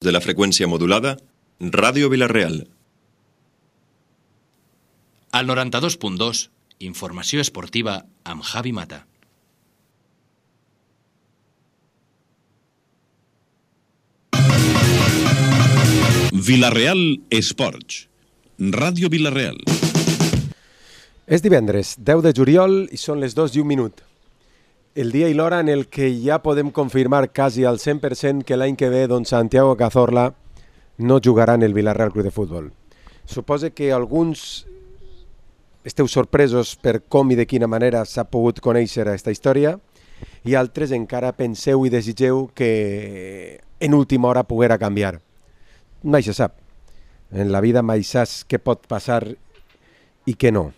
de la freqüència modulada, Ràdio Vila-real. Al 92.2, informació esportiva amb Javi Mata. Vila-real Esports, Ràdio Vila-real. És divendres, 10 de juliol, i són les 2:01. El dia i l'hora en el que ja podem confirmar quasi al 100% que l'any que ve don Santiago Cazorla no jugarà en el Vila-real Club de Futbol. Suposo que alguns esteu sorpresos per com i de quina manera s'ha pogut conèixer aquesta història i altres encara penseu i desitgeu que en última hora poguera canviar. Mai se sap. En la vida mai saps què pot passar i què no.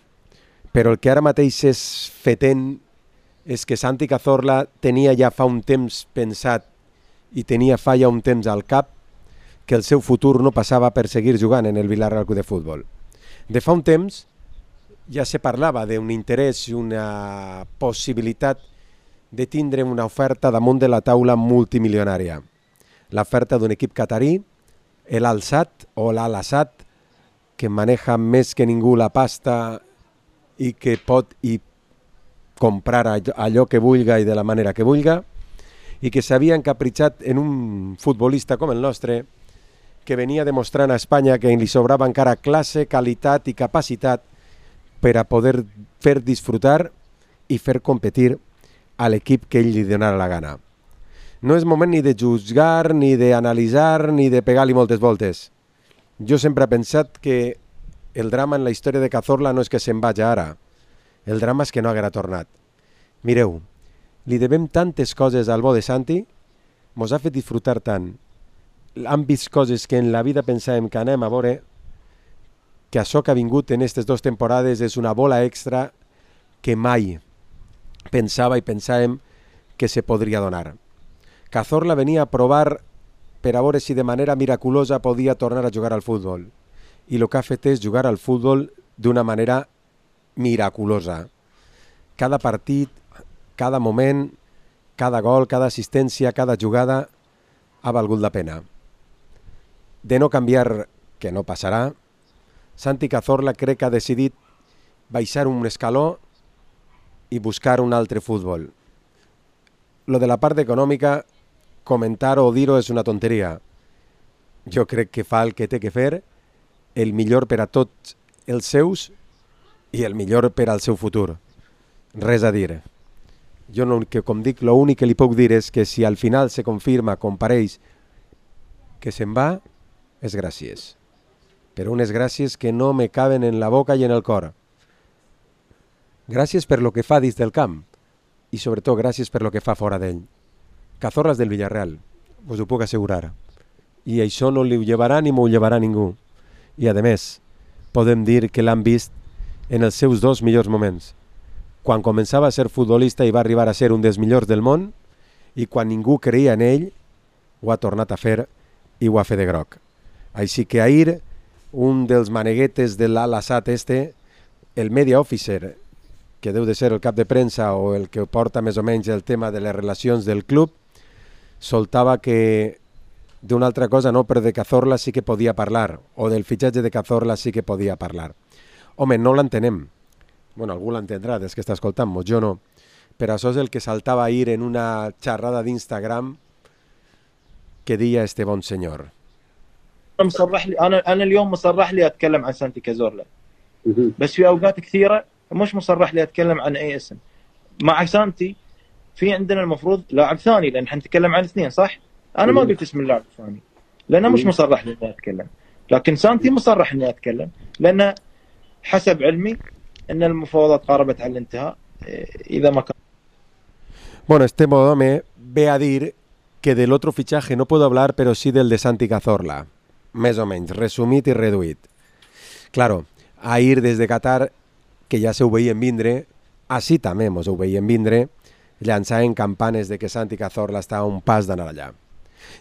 Però el que ara mateix és fetent és que Santi Cazorla tenia ja fa un temps pensat i tenia fa ja un temps al cap que el seu futur no passava per seguir jugant en el Vila-real Club de Futbol. De fa un temps ja se parlava d'un interès i una possibilitat de tindre una oferta damunt de la taula multimilionària. L'oferta d'un equip catarí, l'Al-Sadd o l'Al-Assad, que maneja més que ningú la pasta i que pot comprar allò que vulga i de la manera que vulga, i que s'havia encapritxat en un futbolista com el nostre que venia demostrant a Espanya que li sobrava encara classe, qualitat i capacitat per a poder fer disfrutar i fer competir a l'equip que ell li donara la gana. No és moment ni de jutjar, ni d'analitzar, ni de pegar-li moltes voltes. Jo sempre he pensat que el drama en la història de Cazorla no és que se'n vagi ara. El drama és que no haguera tornat. Mireu, li devem tantes coses al bo de Santi, mos ha fet disfrutar tant. Han vist coses que en la vida pensàvem que anem a veure, que això que ha vingut en aquestes 2 temporades és una bola extra que mai pensava i pensàvem que se podria donar. Cazorla venia a provar per a veure si de manera miraculosa podia tornar a jugar al futbol. I el que ha fet és jugar al futbol d'una manera miraculosa. Cada partit, cada moment, cada gol, cada assistència, cada jugada ha valgut la pena. De no canviar, que no passarà, Santi Cazorla crec que ha decidit baixar un escaló i buscar un altre futbol. Lo de la part econòmica, comentar o dir-ho és una tonteria. Jo crec que fa el que té que fer, el millor per a tots els seus i el millor per al seu futur. Res a dir. Jo, com dic, l'únic que li puc dir és que si al final se confirma, compareix, que se'n va, és gràcies. Però unes gràcies que no me caben en la boca i en el cor. Gràcies per lo que fa dins del camp i sobretot gràcies per lo que fa fora d'ell. Cazorla és del Villarreal, us ho puc assegurar. I això no li ho llevarà ni m'ho llevarà ningú. I a més, podem dir que l'han vist en els seus 2 millors moments. Quan començava a ser futbolista i va arribar a ser un dels millors del món i quan ningú creia en ell, ho ha tornat a fer i ho ha fet de groc. Així que ahir, un dels maneguetes de l'Al-Assad el media officer, que deu de ser el cap de premsa o el que porta més o menys el tema de les relacions del club, soltava que d'una altra cosa no, però de Cazorla sí que podia parlar, o del fitxatge de Cazorla sí que podia parlar. Home, no l'entenem. Bueno, algú l'entendrà des que està escoltant-nos, jo no. Però això és el que saltava ahir en una xerrada d'Instagram que deia este bon senyor. أنا اليوم مصرح لي أتكلم عن سانتي كازورلا بس في أوقات كثيرة مش مصرح لي أتكلم عن أي اسم. مع سانتي في عندنا المفروض لاعب ثاني لأن حنتكلم عن 2 صح؟ أنا ما قلت اسم اللاعب الثاني لأنه مش مصرح لي إني أتكلم، لكن سانتي مصرح إني أتكلم لأن حسب علمي أن المفاوضات قاربت على الانتهاء إذا ما كان. Bueno, este home ve a dir que del otro fichaje no puedo hablar, pero sí del de Santi Cazorla. Més o menys, resumit i reduït. Claro, ahir des de Qatar, que ja se ho veien vindre, així també mos ho veien vindre, llançaven campanes de que Santi Cazorla està a un pas d'anar allà.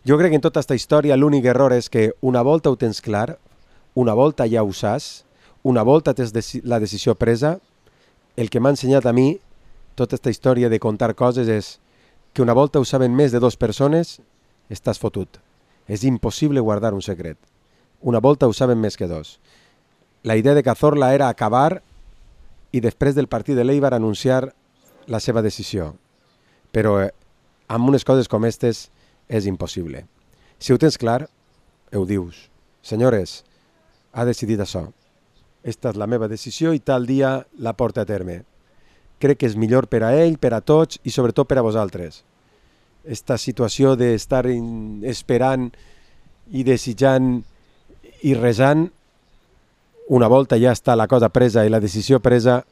Jo crec que en tota aquesta història l'únic error és que una volta ho tens clar, una volta ja ho saps, una volta tens la decisió presa, el que m'ha ensenyat a mi tota aquesta història de contar coses és que una volta ho saben més de 2 persones, estàs fotut. És impossible guardar un secret. Una volta ho saben més que dos. La idea de Cazorla era acabar i després del partit de l'Eibar anunciar la seva decisió. Però amb unes coses com aquestes és impossible. Si ho tens clar, ho dius. Senyores, ha decidit això. Esta és la meva decisió i tal dia la porta a terme. Crec que és millor per a ell, per a tots i sobretot per a vosaltres. Esta situació d'estar esperant i desitjant i resant, una volta ja està la cosa presa i la decisió presa,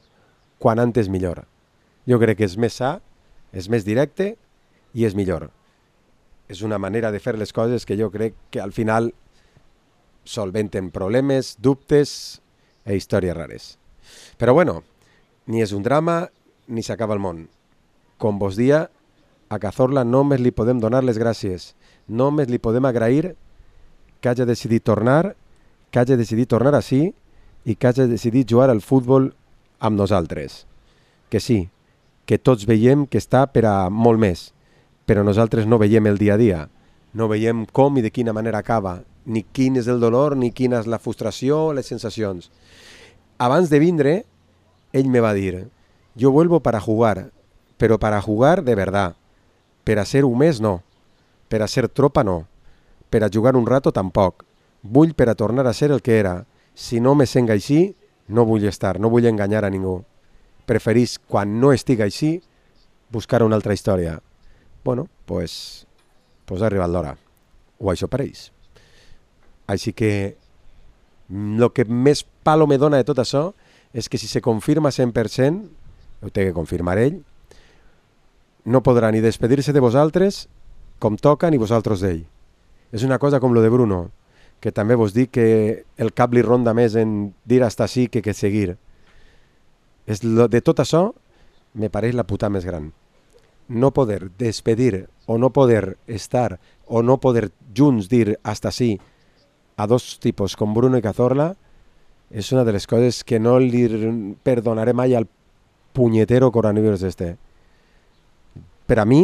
quan antes millor. Jo crec que és més sa, és més directe i és millor. És una manera de fer les coses que jo crec que al final solventen problemes, dubtes e històries rares. Però bueno, ni és un drama ni s'acaba el món. Com vos dia, a Cazorla només li podem donar les gràcies, només li podem agrair que hagi decidit tornar, que hagi decidit tornar així i que hagi decidit jugar al futbol amb nosaltres. Que sí, que tots veiem que està per a molt més, però nosaltres no veiem el dia a dia, no veiem com i de quina manera acaba, ni quin és el dolor, ni quina és la frustració, les sensacions. Abans de vindre, ell me va dir, yo vuelvo para jugar, pero para jugar de verdad. Per a ser un mes no, per a ser tropa no, per a jugar un rato tampoc. Vull per a tornar a ser el que era. Si no me sent així, no vull estar, no vull enganyar a ningú. Preferís, quan no estic així, buscar una altra història. Bueno, pues ha arribat l'hora. O això pareix. Així que el que més palo me dona de tot això és que si se confirma 100%, ho té que confirmar ell, no podrà ni despedir-se de vosaltres com toca ni vosaltres d'ell. És una cosa com lo de Bruno, que també vos dic que el cap li ronda més en dir hasta sí que seguir. De tot això me pareix la puta més gran. No poder despedir o no poder estar o no poder junts dir hasta sí a dos tipus com Bruno i Cazorla és una de les coses que no li perdonaré mai al punyetero coronavirus este. Per a mi,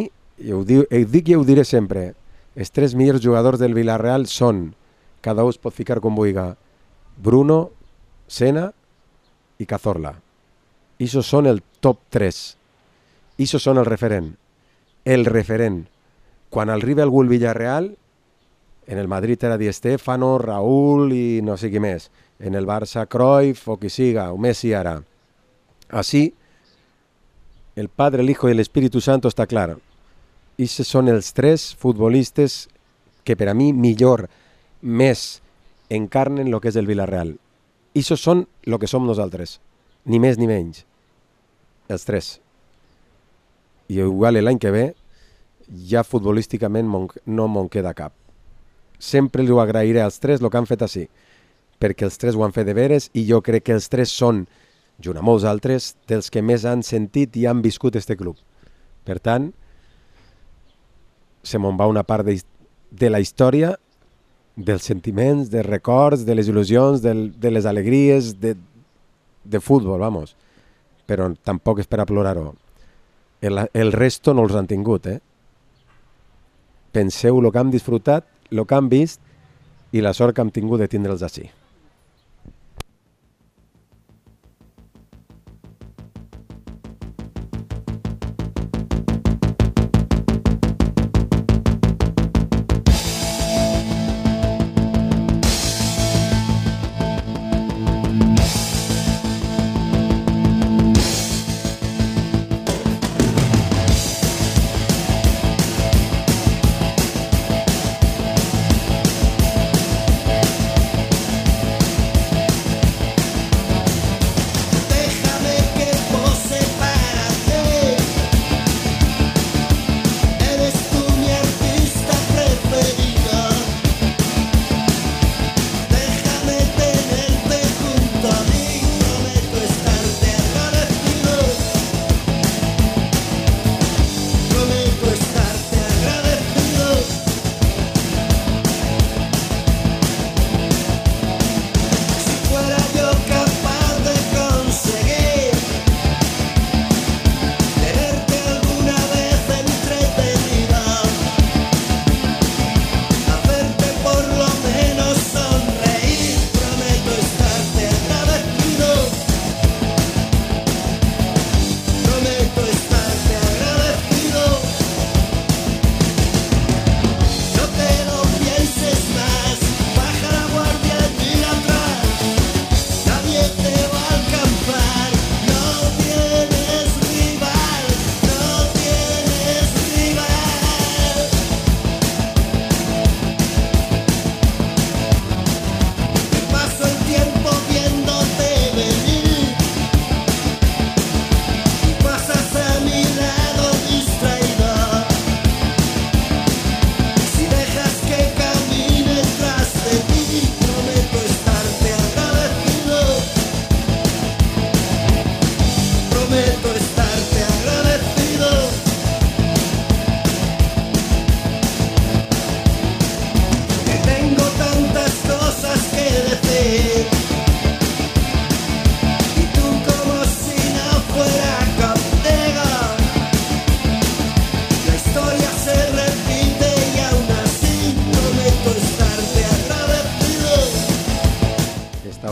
ho dic i ho diré sempre, els tres millors jugadors del Villarreal són, cada un es pot ficar com vulgui, Bruno, Sena i Cazorla. Ixos són el top 3. Ixos són el referent. El referent. Quan arriba algú al Villarreal, en el Madrid era Di Stéfano, Raúl i no sé qui més. En el Barça, Cruyff o qui siga, o Messi ara. Així, el Padre, el Hijo i l'Espíritu Santo està clar. Ixos són els tres futbolistes que per a mi millor, més encarnen el que és el Villarreal. Ixos són el que som nosaltres. Ni més ni menys. Els tres. I igual l'any que ve ja futbolísticament no me'n queda cap. Sempre li ho agrairé als tres el que han fet així, perquè els tres ho han fet de veres i jo crec que els tres són, junt amb molts altres, dels que més han sentit i han viscut este club. Per tant, se me'n va una part de la història, dels sentiments, dels records, de les il·lusions, de les alegries, de futbol, vamos. Però tampoc és per a plorar-ho. El resto no els han tingut, Penseu el que hem disfrutat, el que hem vist i la sort que hem tingut de tindre'ls així.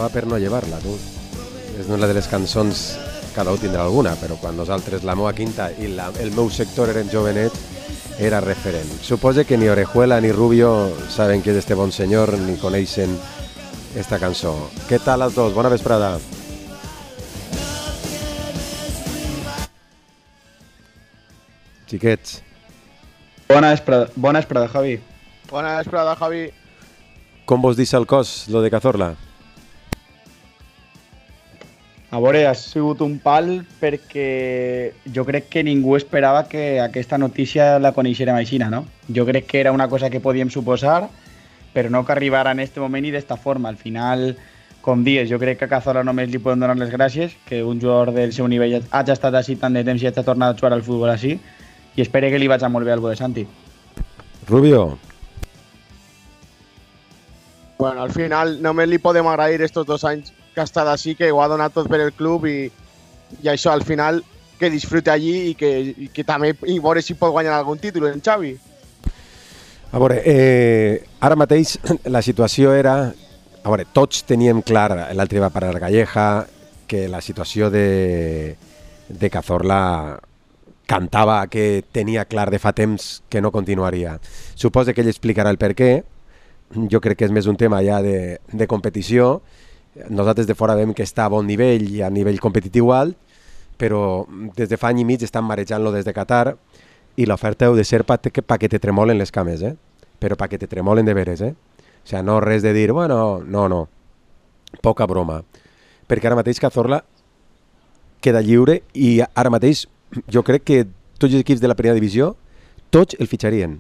demanava per no llevar-la, tu. És una de les cançons, cada un tindrà alguna, però quan nosaltres, la meva quinta i el meu sector eren jovenets, era referent. Suposo que ni Orejuela ni Rubio saben qui és este bon senyor ni coneixen esta cançó. Què tal els dos? Bona vesprada. Xiquets. Bona vesprada, Javi. Bona vesprada, Javi. Com vos deixa el cos, lo de Cazorla? A veure, ha sigut un pal perquè jo crec que ningú esperava que aquesta notícia la coneixérem així, no? Jo crec que era una cosa que podíem suposar, però no que arribara en aquest moment i d'esta forma. Al final, com dius, jo crec que a Cazorla només li podem donar les gràcies, que un jugador del seu nivell hagi estat així tant de temps i hagi tornat a jugar al futbol així, i espero que li vagi molt bé al bo de Santi. Rubio. Bueno, al final només li podem agrair estos 2 anys que ha estat així, que ho ha donat tot per el club i això, al final, que disfrute allí i que també i veure si pot guanyar algun títol en Xavi. A veure, ara mateix la situació era... A veure, tots teníem clar, l'altre va parar Calleja, que la situació de Cazorla cantava que tenia clar de fa temps que no continuaria. Suposo que ell explicarà el per què. Jo crec que és més un tema ja de competició. Nosaltres de fora veiem que està a bon nivell i a nivell competitiu alt, però des de fa any i mig estan marejant-lo des de Qatar i l'oferta heu de ser pa que te tremolen les cames, però pa que te tremolen de veres, O sigui, no res de dir, bueno, no. Poca broma. Perquè ara mateix Cazorla queda lliure i ara mateix jo crec que tots els equips de la primera divisió, tots el fitxarien.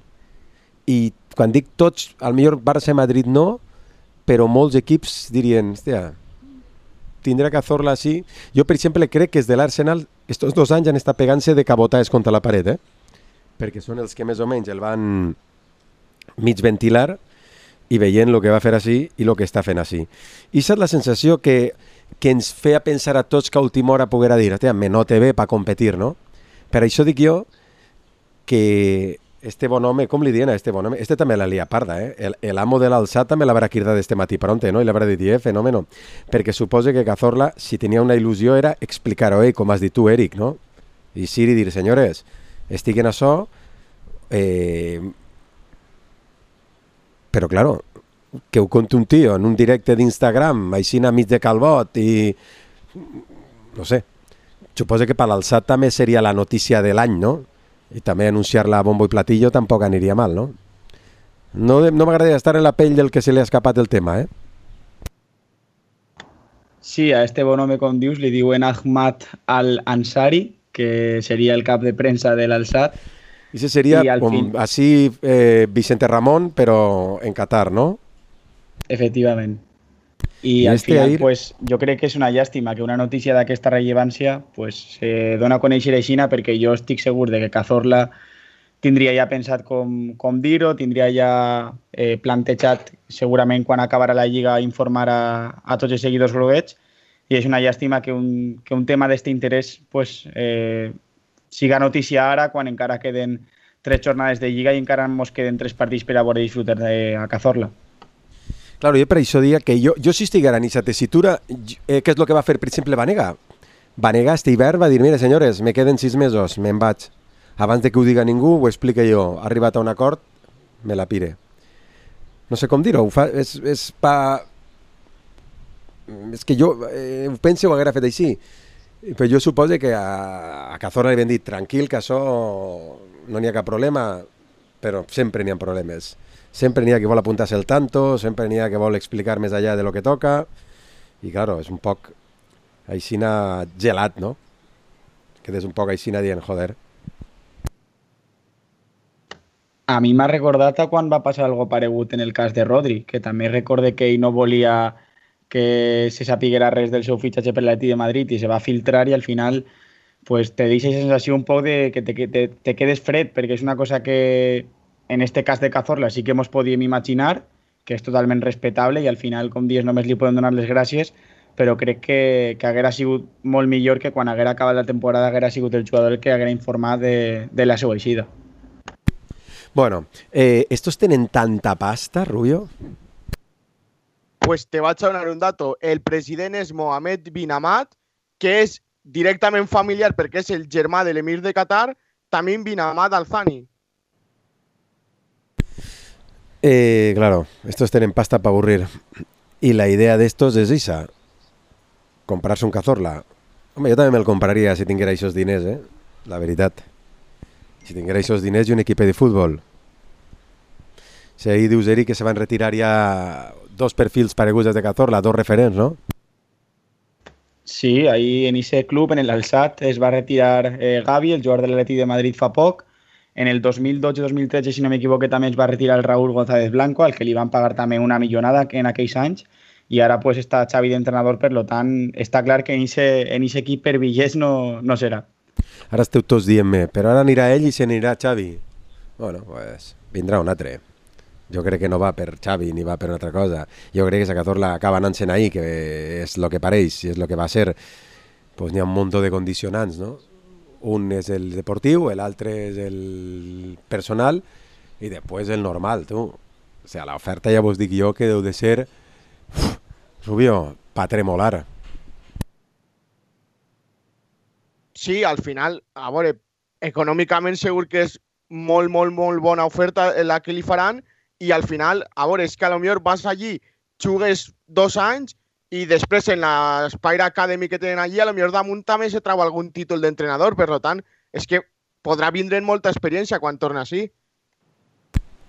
I quan dic tots, al millor Barça i Madrid no, però molts equips dirien, hòstia, tindrà Cazorla així. Jo, per exemple, crec que és de l'Arsenal, estos 2 anys han estat pegant-se de cabotaes contra la paret, perquè són els que més o menys el van mig ventilar i veient el que va fer així i el que està fent així. I és la sensació que ens feia pensar a tots que a última hora poguera dir, hòstia, me note bé per competir, no? Per això dic jo que este bon home, com li diuen a este bon home? Este també la lia parda, l'amo de l'alçat també l'haurà cridat este matí pronte, no? I l'haurà dit, fenòmeno. Perquè suposa que Cazorla, si tenia una il·lusió, era explicar-ho, com has dit tu, Eric, no? I Siri dir, senyores, estic en això, però, claro, que ho conti un tio en un directe d'Instagram, així a mig de calbot i... no sé. Suposa que per l'alçat també seria la notícia de l'any, no? I també anunciar-la a bombo i platillo tampoc aniria mal, no? No m'agradaria estar en la pell del que se li ha escapat el tema, Sí, a este bon home, com dius, li diuen Ahmad Al-Ansari, que seria el cap de premsa de l'Alçat. I això seria així Vicente Ramon, però en Qatar, no? Efectivament. I al final, pues, jo crec que és una llàstima que una notícia d'aquesta rellevància pues, se dona a conèixer aixina, perquè jo estic segur de que Cazorla tindria ja pensat com dir-ho, tindria ja plantejat segurament quan acabarà la Lliga informar a tots els seguidors groguets, i és una llàstima que un tema d'aquest interès pues, siga notícia ara quan encara queden 3 jornades de Lliga i encara ens queden 3 partits per a veure disfrutar a Cazorla. Claro, jo per això diria que jo si estiguera en aquesta tessitura, què és el que va fer, per exemple, Vanega? Vanega, este hivern, va dir, mira, senyores, me queden 6 mesos, me'n vaig. Abans de que ho diga ningú, ho explica jo. Ha arribat a un acord, me la pire. No sé com dir-ho, és que jo ho penso ho haguera fet així. Però jo suposo que a Cazorla li havien dit, tranquil, que això no n'hi ha cap problema, però sempre n'hi ha problemes. Sempre n'hi ha que vol apuntar-se el tanto, sempre n'hi ha que vol explicar més allà de lo que toca, i claro, és un poc aixina gelat, no? Quedes un poc aixina dient, joder. A mi m'ha recordat a quan va passar algo paregut en el cas de Rodri, que també recorde que ell no volia que se sapiguera res del seu fitxatge per l'Atlètic de Madrid i se va filtrar i al final pues, te deixa la sensació un poc de que te quedes fred, perquè és una cosa que en este cas de Cazorla sí que ens podíem imaginar, que és totalment respectable i al final, com dius, només li podem donar les gràcies, però crec que haguera sigut molt millor que quan haguera acabat la temporada haguera sigut el jugador que haguera informat de la seva eixida. Bueno, estos tenen tanta pasta, Rubio? pues te vaig a donar un dato. El president és Mohammed bin Hamad, que és directament familiar perquè és el germà de l'emir de Qatar, Tamim bin Hamad Al Thani. Claro, estos tienen pasta para aburrir. Y la idea de estos es esa, comprarse un Cazorla. Hombre, yo también me lo compraría si tuviera esos diners, la veritat. Si tuviera esos diners y un equipo de fútbol. Si ahí dius, Eric, que se van retirar ya dos perfils pareguts de Cazorla, dos referents, ¿no? Sí, ahí en ese club, en el Al-Sadd, es va retirar Gavi, el jugador del Atleti de Madrid fa poc. En el 2012-2013, si no m'equivoque, també es va retirar el Raúl González Blanco, al que li van pagar també una millonada en aquells anys, i ara pues, està Xavi d'entrenador, per lo tant, està clar que en aquest equip per Villés no serà. Ara esteu tots dient-me, però ara anirà ell i se n'anirà Xavi. Bueno, pues vindrà un altre. Jo crec que no va per Xavi ni va per una altra cosa. Jo crec que si Cazorla acaba anant-se'n ahí, que és el que pareix, i és el que va ser, pues n'hi ha un munt de condicionants, no? Un és el deportiu, l'altre és el personal i després el normal, tu. O sigui, l'oferta ja vos dic jo que deu de ser, Rubio, pa tremolar. Sí, al final, a veure, econòmicament segur que és molt, molt, molt bona oferta la que li faran i al final, a veure, és que potser vas allí, jugues 2 anys i després en l'Spire Academy que tenen allí, potser damunt també se trau algun títol d'entrenador, per tant, és que podrà vindre molta experiència quan torna així.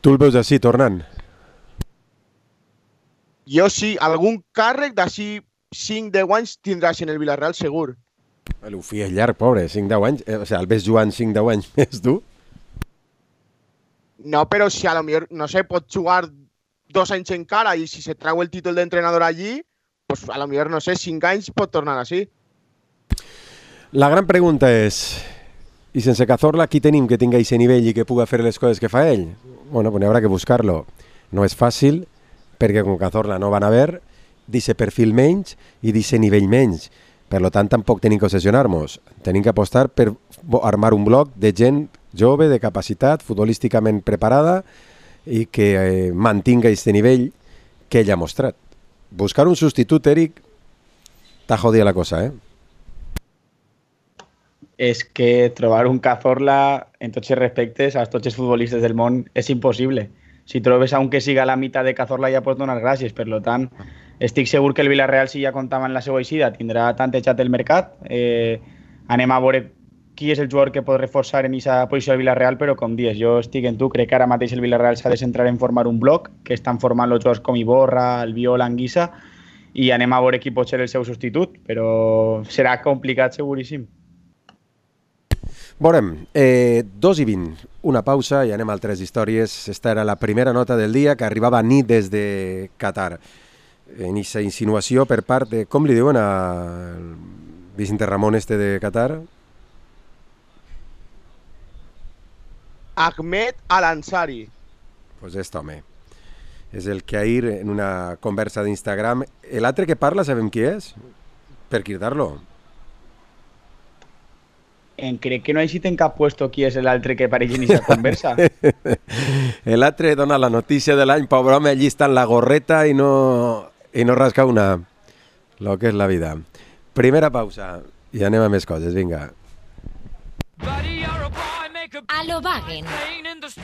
Tu el veus així, tornant? Jo sí, algun càrrec d'ací 5-10 anys tindràs en el Villarreal segur. L'Ufi és llarg, pobre, 5-10 anys. O sigui, el ves jugant 5-10 anys més, tu? No, però si potser, no sé, pot jugar 2 anys encara i si se trau el títol d'entrenador allí, pues potser, no sé, 5 anys pot tornar així. La gran pregunta és, i sense Cazorla, qui tenim que tingui aquest nivell i que puga fer les coses que fa ell? Bueno, pues haurà que buscar-lo. No és fàcil, perquè con Cazorla no van a haver d'aquest perfil menys i d'aquest nivell menys. Per tant, tampoc tenim que obsessionar-nos. Tenim que apostar per armar un bloc de gent jove, de capacitat, futbolísticament preparada i que mantinga aquest nivell que ell ha mostrat. Buscar un substitut, Eric, t'ha jodida la cosa, És que trobar un Cazorla en tots els respectes a tots els futbolistes del món és impossible. Si trobes a un que siga a la meitat de Cazorla ja pots donar gràcies. Per tant, estic segur que el Villarreal, si ja comptava en la seva eixida, tindrà tantejat el mercat. Anem a veure qui és el jugador que pot reforçar en aquesta posició del Villarreal, però com dius, jo estic en tu, crec que ara mateix el Villarreal s'ha de centrar en formar un bloc, que estan formant els jugadors com Iborra, Albiol, Anguissa, i anem a veure qui pot ser el seu substitut, però serà complicat seguríssim. Veurem, 2:20, una pausa i anem a altres històries. Esta era la primera nota del dia que arribava a nit des de Qatar. En aquesta insinuació per part de, com li diuen al Vicente Ramón de Qatar? Ahmed Al-Ansari. Pues home. És el que ahir en una conversa d'Instagram... L'altre que parla, sabem qui és? Per cridar-lo. Crec que no he en cap puesto qui és l'altre que apareix en aquesta conversa. L'altre dona la notícia de l'any, pobre home, allí està en la gorreta i no rasca una. Lo que és la vida. Primera pausa i anem a més coses, vinga. Alobagen,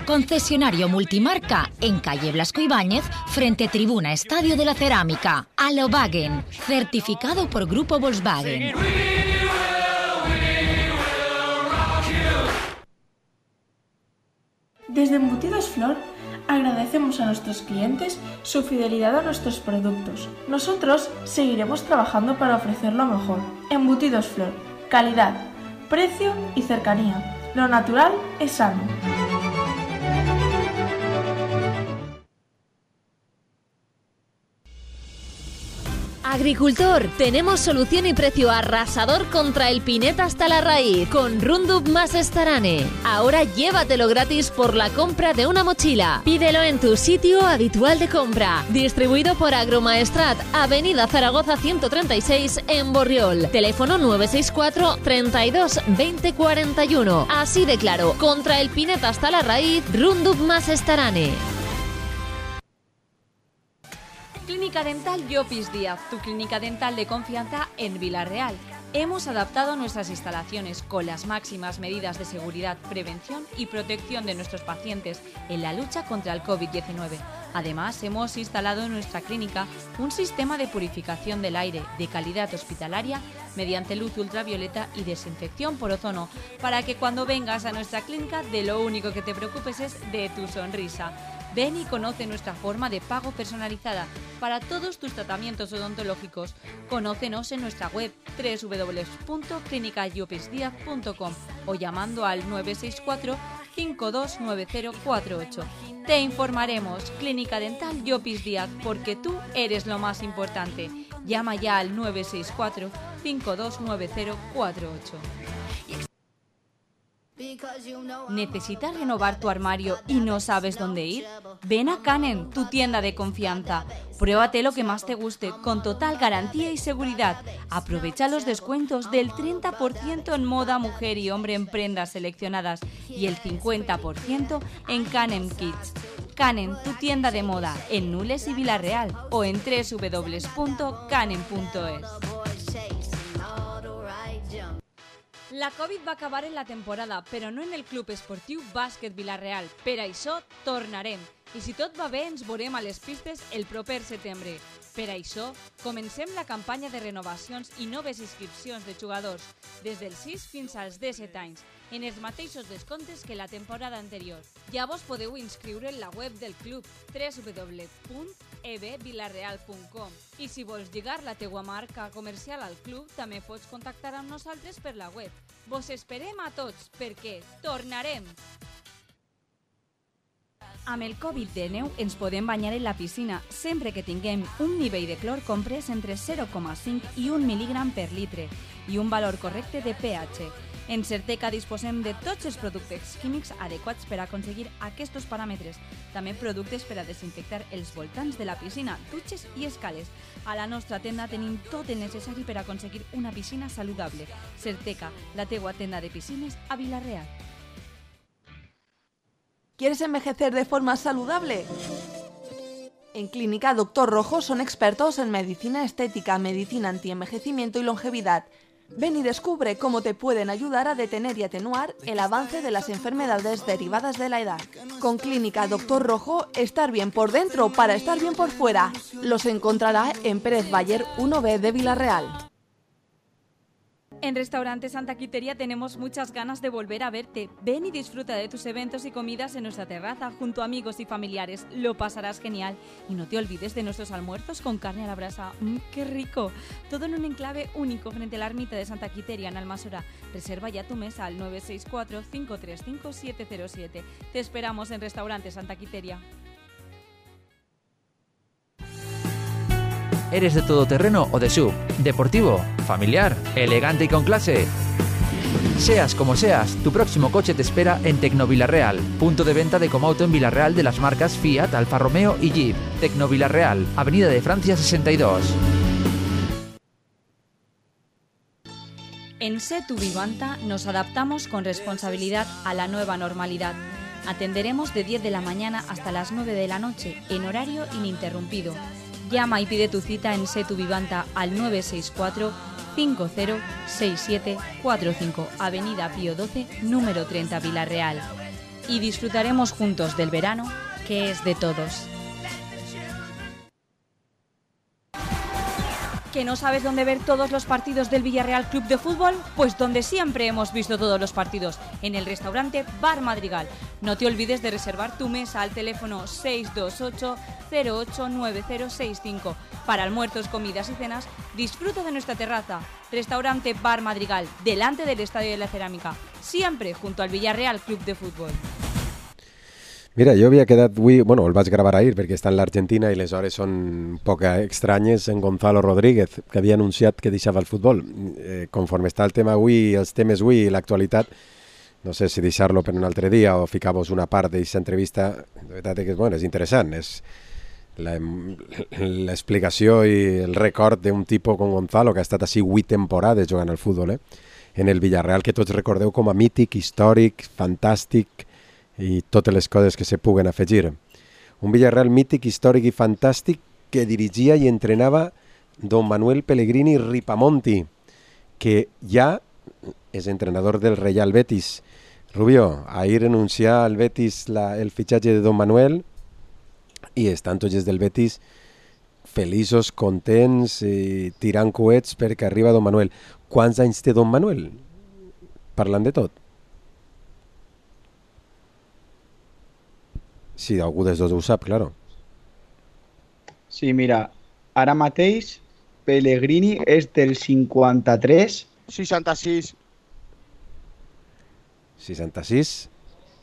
concesionario multimarca en calle Blasco Ibáñez, frente Tribuna Estadio de la Cerámica. Alobagen, certificado por Grupo Volkswagen. Desde Embutidos Flor agradecemos a nuestros clientes su fidelidad a nuestros productos. Nosotros seguiremos trabajando para ofrecer lo mejor. Embutidos Flor, calidad, precio y cercanía. Lo natural es sano. Agricultor, tenemos solución y precio arrasador contra el pineta hasta la raíz con Roundup más Starane. Ahora llévatelo gratis por la compra de una mochila. Pídelo en tu sitio habitual de compra. Distribuido por Agromaestrat, Avenida Zaragoza 136 en Borriol. Teléfono 964 32 20 41. Así de claro, contra el pineta hasta la raíz, Roundup más Starane. Clínica Dental Llopis Díaz, tu clínica dental de confianza en Vila-real. Hemos adaptado nuestras instalaciones con las máximas medidas de seguridad, prevención y protección de nuestros pacientes en la lucha contra el COVID-19. Además, hemos instalado en nuestra clínica un sistema de purificación del aire de calidad hospitalaria mediante luz ultravioleta y desinfección por ozono, para que cuando vengas a nuestra clínica de lo único que te preocupes es de tu sonrisa. Ven y conoce nuestra forma de pago personalizada para todos tus tratamientos odontológicos. Conócenos en nuestra web www.clinicallopisdiaz.com o llamando al 964 529048. Te informaremos. Clínica Dental Llopis Díaz, porque tú eres lo más importante. Llama ya al 964 529048. ¿Necesitas renovar tu armario y no sabes dónde ir? Ven a Canem, tu tienda de confianza. Pruébate lo que más te guste, con total garantía y seguridad. Aprovecha los descuentos del 30% en moda mujer y hombre en prendas seleccionadas y el 50% en Canem Kids. Canem, tu tienda de moda, en Nules y Vila-real o en www.canem.es. La Covid va acabar en la temporada, però no en el Club Esportiu Bàsquet Vila-real. Per això tornarem. I si tot va bé, ens veurem a les pistes el proper setembre. Per això, comencem la campanya de renovacions i noves inscripcions de jugadors, des dels 6 fins als 17 anys, en els mateixos descomptes que la temporada anterior. Ja vos podeu inscriure en la web del club, www.ebvilareal.com. I si vols lligar la teua marca comercial al club, també pots contactar amb nosaltres per la web. Vos esperem a tots, perquè tornarem! Amb el Covid-19 ens podem banyar en la piscina sempre que tinguem un nivell de clor comprès entre 0,5 i 1 mil·lígram per litre i un valor correcte de pH. En Certeca disposem de tots els productes químics adequats per aconseguir aquests paràmetres. També productes per a desinfectar els voltants de la piscina, dutxes i escales. A la nostra tenda tenim tot el necessari per aconseguir una piscina saludable. Certeca, la teua tenda de piscines a Vila-real. ¿Quieres envejecer de forma saludable? En Clínica Dr. Rojo son expertos en medicina estética, medicina antienvejecimiento y longevidad. Ven y descubre cómo te pueden ayudar a detener y atenuar el avance de las enfermedades derivadas de la edad. Con Clínica Dr. Rojo, estar bien por dentro para estar bien por fuera. Los encontrará en Pérez Bayer 1B de Vila-real. En Restaurante Santa Quiteria tenemos muchas ganas de volver a verte. Ven y disfruta de tus eventos y comidas en nuestra terraza junto a amigos y familiares. Lo pasarás genial. Y no te olvides de nuestros almuerzos con carne a la brasa. ¡Qué rico! Todo en un enclave único frente a la ermita de Santa Quiteria en Almassora. Reserva ya tu mesa al 964 535 707. Te esperamos en Restaurante Santa Quiteria. ¿Eres de todoterreno o de SUV? ¿Deportivo? ¿Familiar? ¿Elegante y con clase? Seas como seas, tu próximo coche te espera en Tecnovilarreal, punto de venta de Comauto en Vila-real de las marcas Fiat, Alfa Romeo y Jeep. Tecnovilarreal, Avenida de Francia 62. En Setu Vivanta nos adaptamos con responsabilidad a la nueva normalidad. Atenderemos de 10 de la mañana hasta las 9 de la noche, en horario ininterrumpido. Llama y pide tu cita en Setu Vivanta al 964 506745, Avenida Pío XII, número 30, Vila-real. Y disfrutaremos juntos del verano, que es de todos. ¿Que no sabes dónde ver todos los partidos del Villarreal Club de Fútbol? Pues donde siempre hemos visto todos los partidos, en el restaurante Bar Madrigal. No te olvides de reservar tu mesa al teléfono 628 089065. Para almuerzos, comidas y cenas, disfruta de nuestra terraza. Restaurante Bar Madrigal, delante del Estadio de la Cerámica, siempre junto al Villarreal Club de Fútbol. Mira, jo havia quedat avui, bueno, el vaig gravar ahir perquè està en l'Argentina i les hores són poc estranyes, en Gonzalo Rodríguez, que havia anunciat que deixava el futbol. Conforme està el tema avui, els temes avui i l'actualitat, no sé si deixar-lo per un altre dia o ficar-vos una part d'aquesta entrevista, de veritat que bueno, és interessant, és l'explicació i el record d'un tipus com Gonzalo, que ha estat així 8 temporades jugant al futbol, en el Villarreal, que tots recordeu com a mític, històric, fantàstic, i totes les coses que se puguen afegir. Un Villarreal mític, històric i fantàstic que dirigia i entrenava don Manuel Pellegrini Ripamonti, que ja és entrenador del Real Betis. Rubio, ahir anunciar al Betis el fitxatge de don Manuel i estan tots els del Betis feliços, contents, tirant coets perquè arriba don Manuel. Quants anys té don Manuel? Parlant de tot. Si algú dels dos ho sap, claro. Sí, mira, ara mateix Pellegrini és del 53. 66. 66?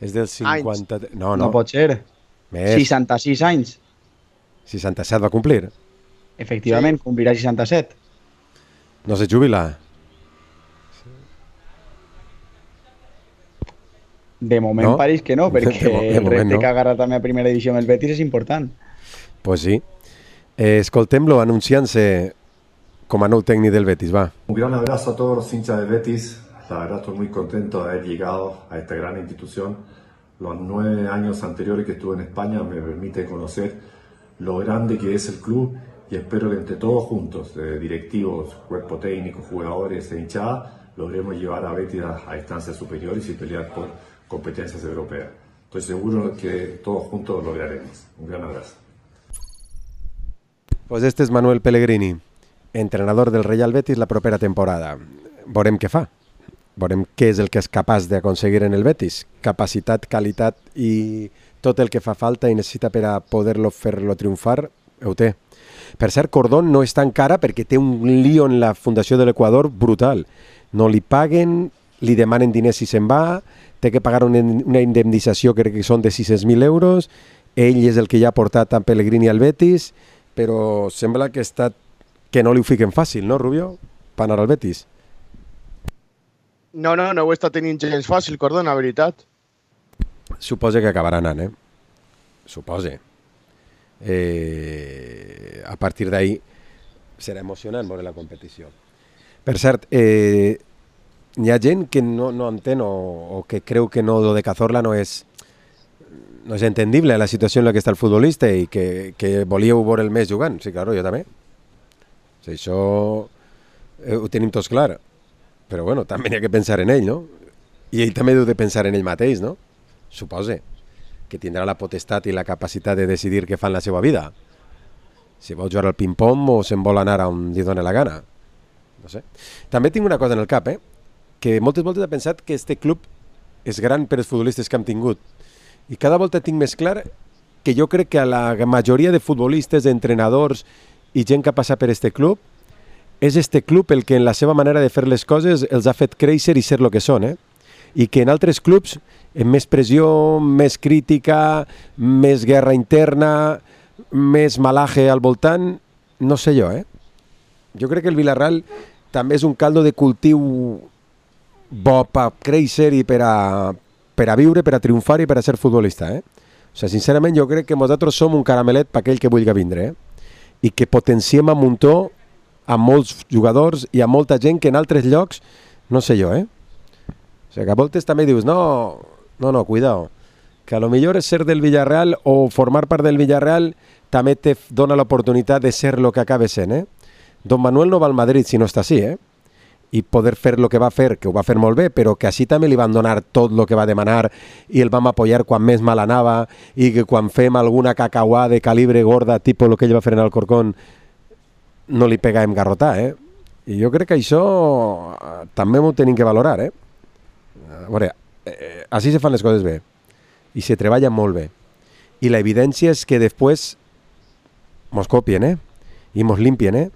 És del 50... No pot ser. Més. 66 anys. 67 va complir. Efectivament, sí. Complirà 67. No se jubila. De moment pareix que no, perquè el repte que ha agarrat també a primera divisió amb el Betis és important. Pues sí. Escoltem-lo anunciant-se como nou técnico del Betis, va. Un gran abrazo a todos los hinchas del Betis. La verdad estoy muy contento de haber llegado a esta gran institución. Los 9 años anteriores que estuve en España me permite conocer lo grande que es el club y espero que entre todos juntos, directivos, cuerpo técnico, jugadores e hinchada, logremos llevar a Betis a instancias superiores y pelear por competencias europeas. Estoy seguro que todos juntos lo lograremos. Un gran abrazo. Pues este és Manuel Pellegrini, entrenador del Real Betis la propera temporada. Veurem què fa. Veurem què és el que és capaç d'aconseguir en el Betis. Capacitat, qualitat i tot el que fa falta i necessita per a poder-lo fer-lo triomfar, ho té. Per cert, Cordón no està encara perquè té un lío en la Fundació de l'Equador brutal. No li paguen, li demanen diners si se'n va, té que pagar una indemnització, crec que són de 600.000 euros, ell és el que ja ha portat a Pellegrini al Betis, però sembla que no li ho fiquen fàcil, no, Rubio? Per anar al Betis. No ho està tenint gens fàcil, Cordón, la veritat. Suposa que acabarà anant, Suposa. A partir d'ahí serà emocionant veure la competició. Per cert, hi ha gent que no entén o que creu que no, lo de Cazorla no és entendible la situació en la que està el futbolista i que volíeu veure el mes jugant. Sí, claro, jo també. O sigui, això ho tenim tots clar. Però bueno, també n'hi ha que pensar en ell, no? I ell també deu de pensar en ell mateix, no? Suposa que tindrà la potestat i la capacitat de decidir què fa en la seva vida. Si vol jugar al ping-pong o se'n vol anar on li doni la gana. No sé. També tinc una cosa en el cap, que moltes voltes he pensat que este club és gran per als futbolistes que hem tingut. I cada volta tinc més clar que jo crec que a la majoria de futbolistes, entrenadors i gent que ha passat per este club, és este club el que en la seva manera de fer les coses els ha fet créixer i ser el que són, i que en altres clubs, amb més pressió, més crítica, més guerra interna, més malaje al voltant, no sé jo, Jo crec que el Villarreal també és un caldo de cultiu bo per créixer i per a viure, per a triomfar i per a ser futbolista, O sigui, sincerament, jo crec que nosaltres som un caramelet per aquell que vulgui vindre, i que potenciem a muntó a molts jugadors i a molta gent que en altres llocs, no sé jo, O sigui, que a voltes també dius, no, cuidao, que a lo millor és ser del Villarreal o formar part del Villarreal també te dona l'oportunitat de ser el que acaba sent, Don Manuel no va al Madrid si no està així, i poder fer el que va fer, que ho va fer molt bé, però que així també li van donar tot el que va demanar i el vam apoyar quan més mal anava i que quan fem alguna cacauà de calibre gorda, tipus el que ell va fer en Alcorcón, no li pegàvem garrotar, I jo crec que això també m'ho tenim que valorar, A veure, així se fan les coses bé i se treballa molt bé. I la evidència és que després mos copien, i mos limpien,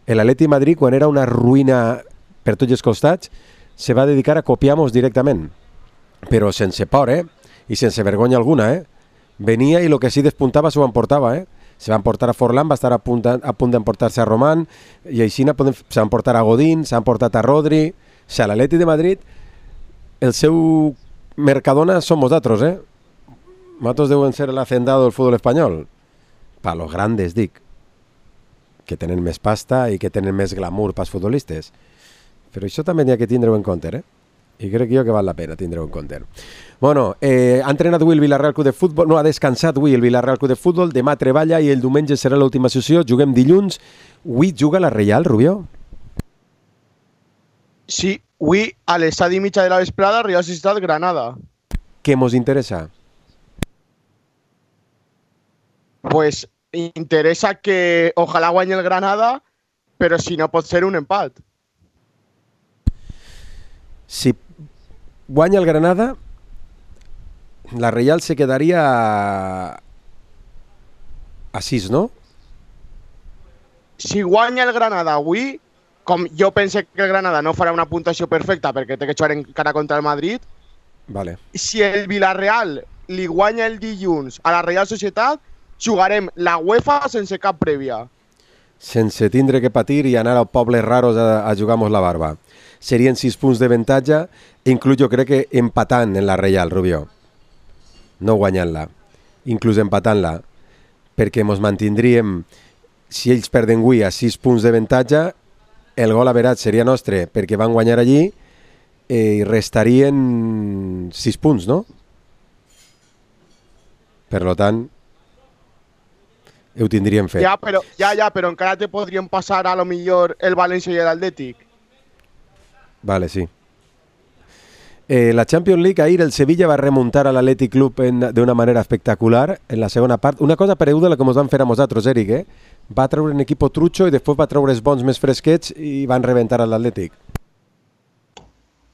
L'Atleti Madrid, quan era una ruïna per tots els costats, se va dedicar a copiar-nos directament, però sense por, i sense vergonya alguna, Venia i el que sí despuntava s'ho emportava, Se van portar a Forlán, va estar a punt d'emportar-se a Román, i així se van portar a Godín, s'han portat a Rodri. O sigui, l'Atleti de Madrid, el seu Mercadona som nosaltres, Nosaltres deuen ser el hacendado del futbol espanyol. Pa los grandes, dic, que tenen més pasta i que tenen més glamour pels futbolistes. Però això també n'hi ha que tindre-ho en compte, I crec jo que val la pena tindre-ho en compte. Bueno, ha entrenat avui el Vila-real Club de Futbol, no, ha descansat avui el Vila-real Club de Futbol, demà treballa i el diumenge serà l'última sessió, juguem dilluns. Avui juga la Reial, Rubió? Sí, avui a les 7:30 de la vesprada, Real Societat Granada. Què mos interessa? Pues interesa que ojalá guañe el Granada, pero si no pot ser un empat. Si guanya el Granada, la Reial se quedaria a 6, no? Si guanya el Granada avui, com jo pense que el Granada no farà una puntuació perfecta perquè té que jugar encara contra el Madrid, vale. Si el Villarreal li guanya el dilluns a la Real Societat, jugarem la UEFA sense cap prèvia. Sense tindre que patir i anar a pobles raros a jugar-nos la barba. Serien 6 punts d'avantatge, inclús jo crec que empatant en la Reial, Rubió. No guanyant-la, inclús empatant-la, perquè ens mantindríem, si ells perden avui a 6 punts d'avantatge, el gol average seria nostre, perquè van guanyar allí i restarien 6 punts, no? Per tant, ho tindríem fet. Ja, però encara te podrien passar a lo millor el València i l'Atlètic. Vale, sí. La Champions League, ahir el Sevilla va remuntar a l'Athletic Club d'una manera espectacular en la segona part. Una cosa pareguda a la que ens van fer a nosaltres, Eric, eh? Va treure un equip trucho i després va treure els bons més fresquets i van rebentar a l'Atlètic.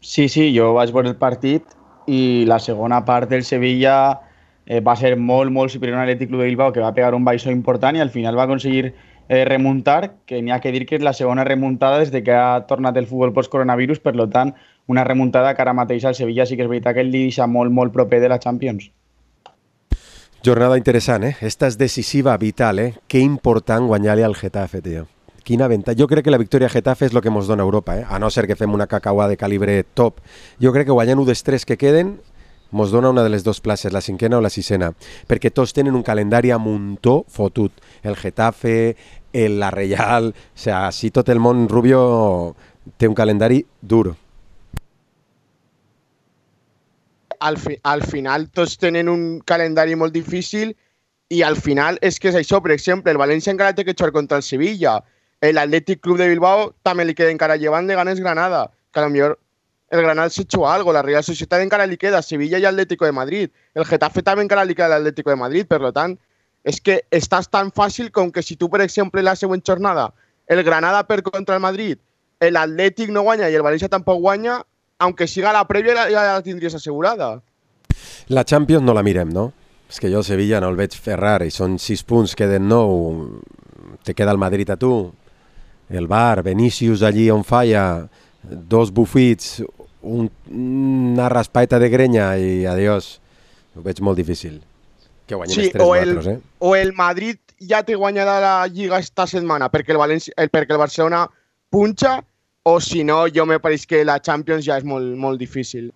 Sí, jo vaig veure el partit i la segona part del Sevilla va ser molt superior a l'Atlètic Club de Bilbao, que va pegar un baixó important i al final va aconseguir remuntar, que n'hi ha que dir que és la segona remuntada des que ha tornat el futbol post-coronavirus, per tant, una remuntada que ara mateix al Sevilla sí que és veritat que el deixa molt proper de la Champions. Jornada interessant, eh? Esta és decisiva, vital, eh? Que important guanyar-li al Getafe, tio. Quina avantatge. Jo crec que la victòria a Getafe és el que ens dona Europa, eh? A no ser que fem una cacauà de calibre top. Jo crec que guanyant un dels 3 que queden ens dona una de les 2 places, la 5ª o la 6ª, perquè tots tenen un calendari a muntó fotut. El Getafe, la Reial, o sigui, si tot el món Rubio té un calendari dur. Al final tots tenen un calendari molt difícil i al final és que és això. Per exemple, el València encara té que jugar contra el Sevilla, l'Atlètic Club de Bilbao també li queda encara llevant de ganes Granada, que potser el Granada se juga algo, la Real Societat encara li queda Sevilla i Atlético de Madrid, el Getafe també encara li queda l'Atlético de Madrid, per tant, és que estàs tan fàcil com que si tu, per exemple, la següent jornada, el Granada perd contra el Madrid, l'Atlètic no guanya i el València tampoc guanya, aunque siga la prèvia ja la tindries assegurada. La Champions no la mirem, no? És que jo Sevilla no el veig fer rar i són 6 punts, queden 9, te queda el Madrid a tu, el Bar, Vinícius allí on falla, 2 bufits, una raspaeta de grenya i adiós. Ho veig molt difícil. Que guanyin els 3 nosaltres, eh? O el Madrid ja té guanyada la Lliga esta setmana perquè el Barcelona punxa, o si no, jo me pareix que la Champions ja és molt difícil.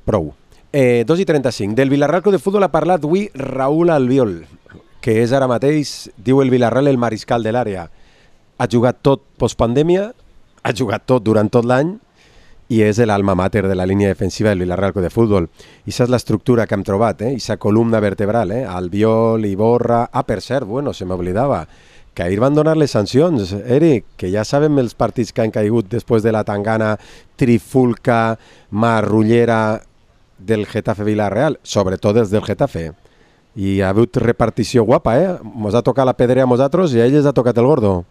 Prou. 2:35. Del Villarreal Club de Futbol ha parlat avui Raúl Albiol, que és ara mateix, diu el Villarreal, el mariscal de l'àrea. Ha jugat tot postpandèmia, ha jugat tot durant tot l'any i és l'alma mater de la línia defensiva del Villarreal Club de Futbol. I és l'esstructura que hem trobat, i aquesta columna vertebral, Albiol, Iborra... Ah, per cert, bueno, se m'oblidava, que ahir van donar les sancions, Eric, que ja sabem els partits que han caigut després de la tangana trifulca, marrullera del Getafe Villarreal, sobretot els del Getafe. I ha hagut repartició guapa, Mos ha tocat la pedrea a nosaltres i a ells ha tocat el gordo.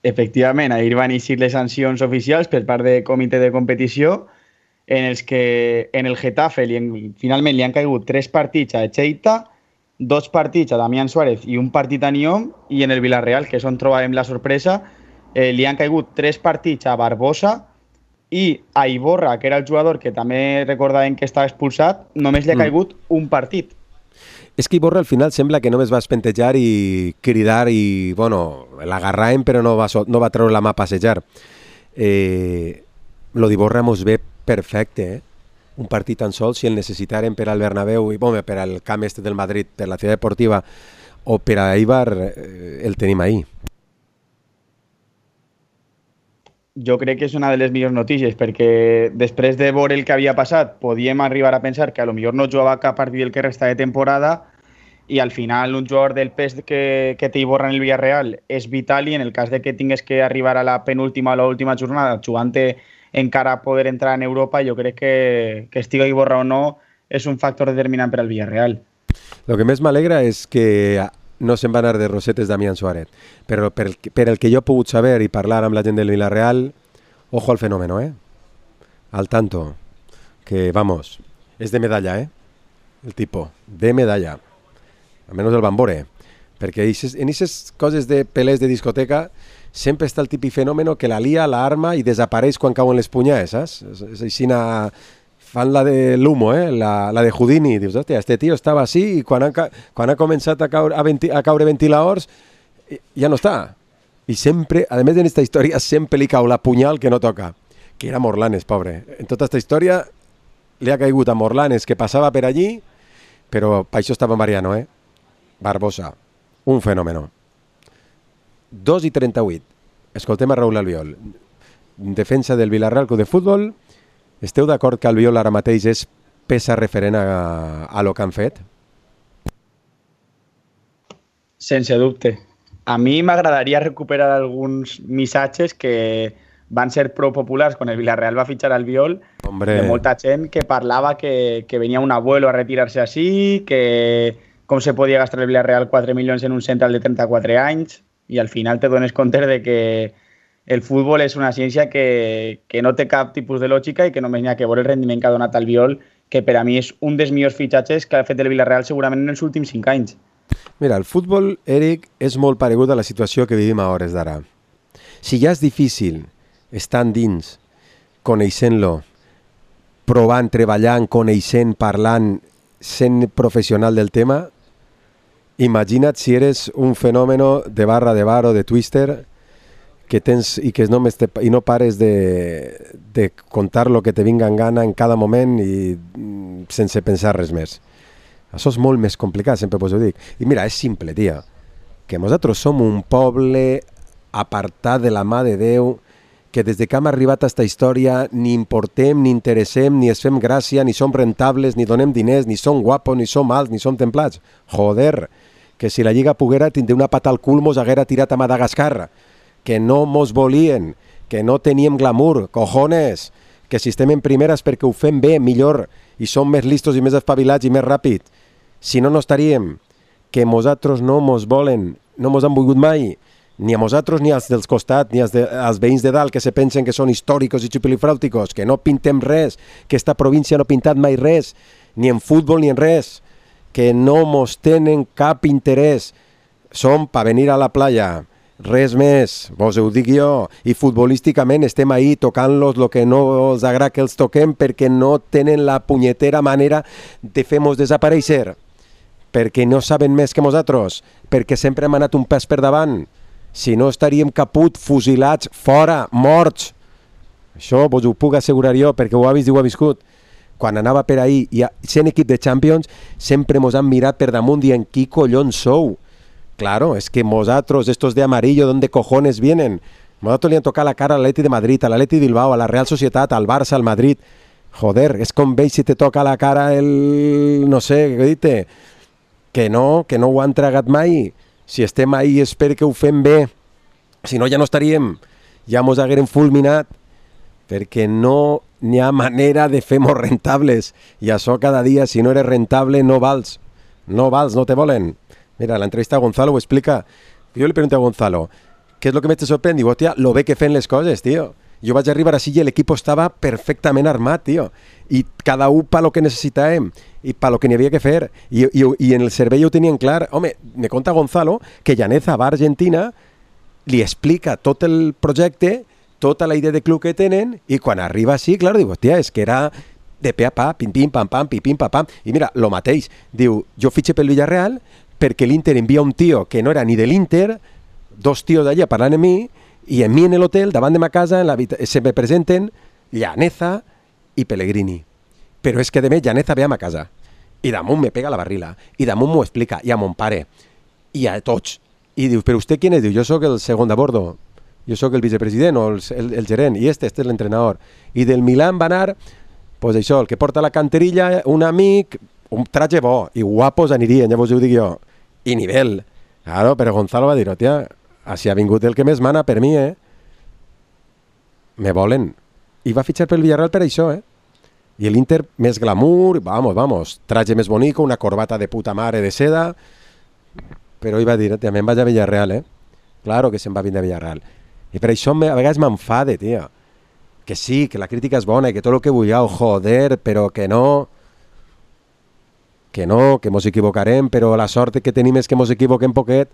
Efectivament, ahir van eixir les sancions oficials per part del comitè de competició en els que en el Getafe finalment li han caigut 3 partits a Echeita, 2 partits a Damián Suárez i un partit a Nyom, i en el Villarreal, que és on trobàvem la sorpresa, li han caigut 3 partits a Barbosa i a Iborra, que era el jugador que també recordàvem que estava expulsat, només li ha caigut un partit. És que Iborra al final sembla que només va espentejar i cridar i, bueno, l'agarràvem però no va treure la mà a passejar. Lo d'Iborra mos ve perfecte, un partit tan sol, si el necessitaren per al Bernabéu i per al camp este del Madrid, per la Ciutat Deportiva o per a Eibar, el tenim ahí. jo crec que és una de les millors notícies, perquè després de veure el que havia passat, podíem arribar a pensar que a lo millor no jugava cap partit del que resta de temporada i al final un jugador del pes que té Iborra en el Villarreal és vital i en el cas de que tingués que arribar a la penúltima o l'última jornada jugant encara a poder entrar en Europa, jo crec que estiga Iborra o no és un factor determinant per al Villarreal. Lo que més m'alegra és que no se'n va anar de rosetes Damián Suárez, però per el que jo he pogut saber i parlar amb la gent del Villarreal, ojo al fenómeno, al tanto, que vamos, és de medalla, el tipo, de medalla, almenys el Bambore, perquè en aquestes coses de pelés de discoteca sempre està el típic fenómeno que la lia, la arma i desapareix quan cauen les punyades, saps? És així fan la de l'humo, la de Houdini. Dius, hòstia, este tio estava així i quan ha començat a caure ventiladors ja no està. I sempre, a més d'aquesta història, sempre li cau la punyal que no toca, que era Morlanes, pobre. En tota aquesta història li ha caigut a Morlanes, que passava per allí, però per això estava Mariano, Barbosa, un fenómeno. 2:38. Escoltem a Raúl Albiol. Defensa del Villarreal Club de Futbol. Esteu d'acord que Albiol ara mateix és peça referent a lo que han fet? Sense dubte. A mi m'agradaria recuperar alguns missatges que van ser prou populars quan el Villarreal va fitxar Albiol. Hombre. De molta gent que parlava que venia un abuelo a retirarse així, que com se podia gastar el Villarreal 4 milions en un central de 34 anys, i al final te dones compte de que el futbol és una ciència que no té cap tipus de lògica i que només n'hi ha que veure el rendiment que ha donat Albiol, que per a mi és un dels millors fitxatges que ha fet el Villarreal segurament en els últims 5 anys. Mira, el futbol, Eric, és molt paregut a la situació que vivim a hores d'ara. Si ja és difícil estar dins, coneixent-lo, provant, treballant, coneixent, parlant, sent professional del tema, imagina't si eres un fenómeno de barra de bar o de twister que tens i que no pares de contar lo que te vinga en gana en cada moment i sense pensar res més. Això és molt més complicat, sempre us ho dic. I mira, és simple, tia, que nosaltres som un poble apartat de la mà de Déu, que des de que hem arribat a aquesta història ni importem, ni interessem, ni es fem gràcia, ni som rentables, ni donem diners, ni som guapos, ni som alts, ni som templats. Joder, que si la Lliga poguera tindre una pata al cul mos haguera tirat a Madagascar, que no mos volien, que no teníem glamour, cojones, que si estem en primera és perquè ho fem bé, millor, i som més listos i més espavilats i més ràpid. Si no, no estaríem. Que nosaltres no mos volen, no mos han volgut mai, ni a nosaltres ni als dels costat, ni als veïns de dalt que se pensen que són històricos i xupilifràuticos, que no pintem res, que esta província no ha pintat mai res, ni en futbol ni en res, que no mos tenen cap interès. Som per venir a la playa, res més, vos ho dic jo, i futbolísticament estem ahí tocant-los el que no els agrada que els toquem perquè no tenen la punyetera manera de fer-nos desaparèixer, perquè no saben més que nosaltres, perquè sempre hem anat un pas per davant. Si no estaríem caput, fusilats, fora, morts. Això vos ho puc assegurar jo, perquè ho ha vist i ho ha viscut. Quan anava per ahí, i sent equip de Champions, sempre mos han mirat per damunt dient qui collons sou. Claro, es que nosaltres, estos de amarillo, ¿dónde cojones vienen? Nosaltres li han tocat la cara a l'Atleti de Madrid, a l'Atleti de Bilbao, a la Real Societat, al Barça, al Madrid. Joder, és com veig si te toca la cara el... no sé, què dite? Que no ho han tragat mai. Si estem ahí és perquè ho fem bé. Si no, ja no estaríem. Ja mos haguérem fulminat. Perquè no n'hi ha manera de fer-nos rentables. I això cada dia, si no eres rentable, no vals. No vals, no te volen. Mira, la entrevista a Gonzalo ho explica. Jo li pregunto a Gonzalo, ¿qué es lo que me te sorprende? Digo, hòstia, lo bé que fem les coses, tío. Jo vaig arribar així i l'equip estava perfectament armat, tío. I cada un pa lo que necessitàvem i pa lo que n'hi havia que fer. I en el servei ho tenien clar. Home, me conta Gonzalo que Llaneza va a Argentina, li explica tot el projecte, tota la idea de club que tenen, i quan arriba així, clar, diu, hòstia, és que era de pe a pa, pim, pim, pam, pam, pim, pim, pam, pam. I mira, lo mateix. Diu, jo fitxe pel Villarreal perquè l'Inter envia un tio que no era ni de l'Inter, dos tios d'allà parlant amb mi, i en mi en l'hotel, davant de ma casa, se me presenten Llaneza i Pellegrini. Però és que de més Llaneza ve a ma casa. I damunt me pega la barrila. I damunt m'ho explica. I a mon pare. I a tots. I diu, però vostè quién és? Diu, jo sóc el segon de bordo. jo sóc el vicepresident o el gerent, i este és l'entrenador. I del Milan va anar, pues això, el que porta la canterilla, un amic, un traje bo, i guapos anirien, ja vos ho dic jo, i nivell. Claro, però Gonzalo va dir, hòstia, així ha vingut el que més mana per mi, Me volen. I va fitxar pel Villarreal per això, I l'Inter més glamour, vamos, traje més bonico, una corbata de puta mare de seda, però ell va dir, també em vaig a Villarreal, Claro que se'n va vindre a Villarreal. I per això a vegades m'enfade, tio. Que sí, que la crítica és bona i que tot el que vulgueu, joder, però que no, que mos equivocarem, però la sort que tenim és que mos equivoquem poquet,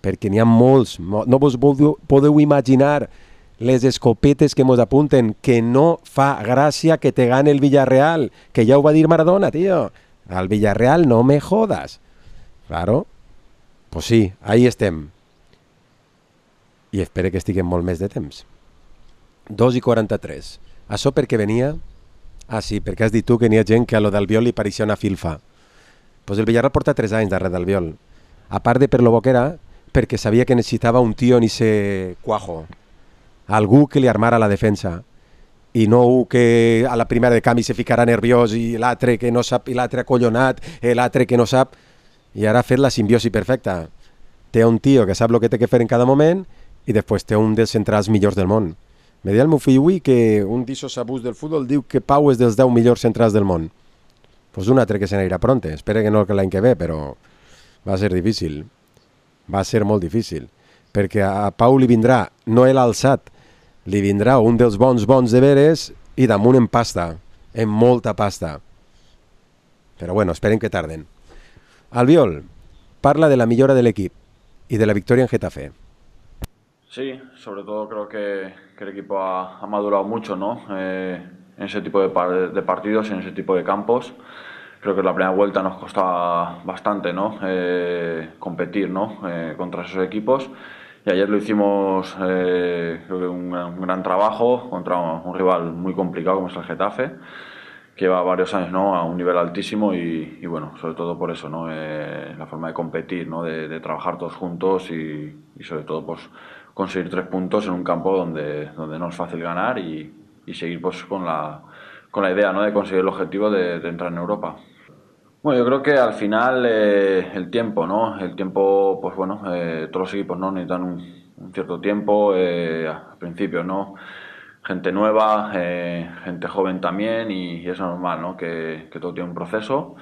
perquè n'hi ha molts. No vos podeu imaginar les escopetes que mos apunten, que no fa gràcia que te gane el Villarreal, que ja ho va dir Maradona, tio. Al Villarreal no me jodas. Claro. Pues sí, ahí estem. I espero que estiguem molt més de temps. 2:43. Això per què venia? Ah, sí, perquè has dit tu que n'hi ha gent que a lo d'Albiol li pareixia una filfa. Pues el Villarreal porta 3 anys darrere d'Albiol. A part de per lo bo que era, perquè sabia que necessitava un tio en ese cuajo. Algú que li armara la defensa. I no un que a la primera de canvi se ficarà nerviós i l'altre que no sap, i l'altre acollonat, l'altre que no sap. I ara ha fet la simbiosi perfecta. Té un tio que sap el que té que fer en cada moment i després té un dels centrals millors del món. Me deia el meu fill avui que un d'ixos abús del futbol diu que Pau és dels 10 millors centrals del món. Pues un altre que se n'anirà pronte. Espero que no l'any que ve, però va ser difícil. Va ser molt difícil. Perquè a Pau li vindrà, no l'alçat, li vindrà un dels bons de veres i damunt en pasta, en molta pasta. Però bueno, esperem que tarden. Albiol, parla de la millora del equipo y de la victoria en Getafe. Sí, sobre todo creo que el equipo ha madurado mucho, ¿no? En ese tipo de partidos, en ese tipo de campos. Creo que la primera vuelta nos costaba bastante, ¿no? Competir, ¿no? Contra esos equipos. Y ayer lo hicimos, creo que un gran trabajo contra un rival muy complicado como es el Getafe, que lleva varios años, ¿no? A un nivel altísimo y bueno, sobre todo por eso, ¿no? La forma de competir, ¿no? De trabajar todos juntos y sobre todo pues conseguir 3 puntos en un campo donde no es fácil ganar y seguir pues con la idea, ¿no? De conseguir el objetivo de entrar en Europa. Bueno, yo creo que al final el tiempo, ¿no? El tiempo, pues bueno, todos los equipos, ¿no? Necesitan un cierto tiempo, al principio, ¿no? Gente nueva, gente joven también y es normal, ¿no? Que todo tiene un proceso.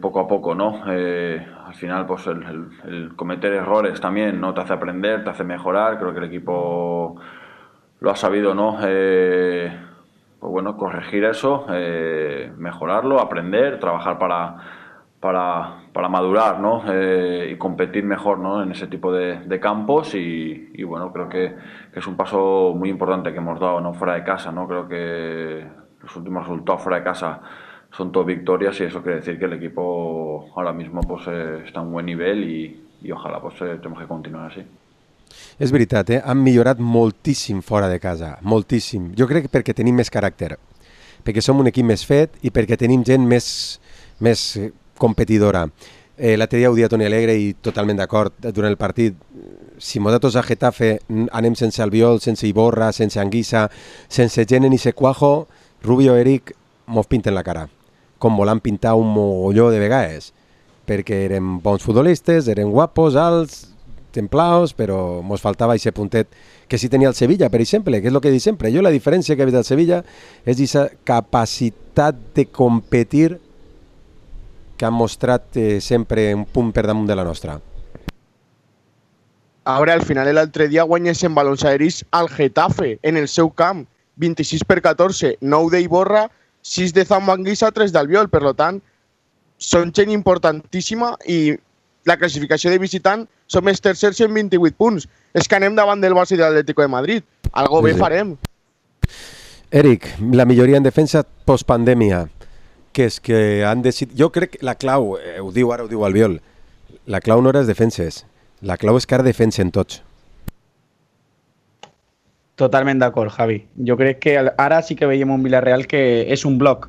Poco a poco, ¿no? Al final, pues el cometer errores también, ¿no? Te hace aprender, te hace mejorar. Creo que el equipo lo ha sabido, ¿no? Pues bueno, corregir eso, mejorarlo, aprender, trabajar para madurar, ¿no? Y competir mejor, ¿no? En ese tipo de campos y bueno, creo que es un paso muy importante que hemos dado, ¿no? Fuera de casa, ¿no? Creo que los últimos resultados fuera de casa son todo victorias y eso quiere decir que el equipo ahora mismo pues está a un buen nivel y ojalá pues tenemos que continuar así. És veritat, han millorat moltíssim fora de casa, moltíssim. Jo crec que perquè tenim més caràcter, perquè som un equip més fet i perquè tenim gent més competidora. L'altre dia ho dia Toni Alegre i totalment d'acord durant el partit. Si nosaltres a Getafe anem sense Albiol, sense Iborra, sense Anguissa, sense gent en ese cuajo, Rubio i Eric mos pinten la cara, com volant pintar un mogolló de vegades, perquè eren bons futbolistes, eren guapos, alts, templaos, però mos faltava aquest puntet que sí tenia el Sevilla, per exemple, que és el que dic sempre. Jo la diferència que he vist del Sevilla és aquesta capacitat de competir que han mostrat sempre un punt per damunt de la nostra. Ara, al final, l'altre dia guanyes en balons aeris al Getafe, en el seu camp, 26-14, 9 d'Iborra, 6 de Zambanguissa, 3 d'Albiol. Per tant, són gent importantíssima i la classificació de visitant som els tercers en 28 punts. És que anem davant del Barça i de l'Atlético de Madrid. Algo bé farem. Eric, la milloria en defensa postpandèmia, que és que han decidit... Jo crec que la clau, ho diu Albiol, la clau no era les defenses, la clau és que ara defensen tots. Totalment d'acord, Javi. Jo crec que ara sí que veiem un Villarreal que és un bloc.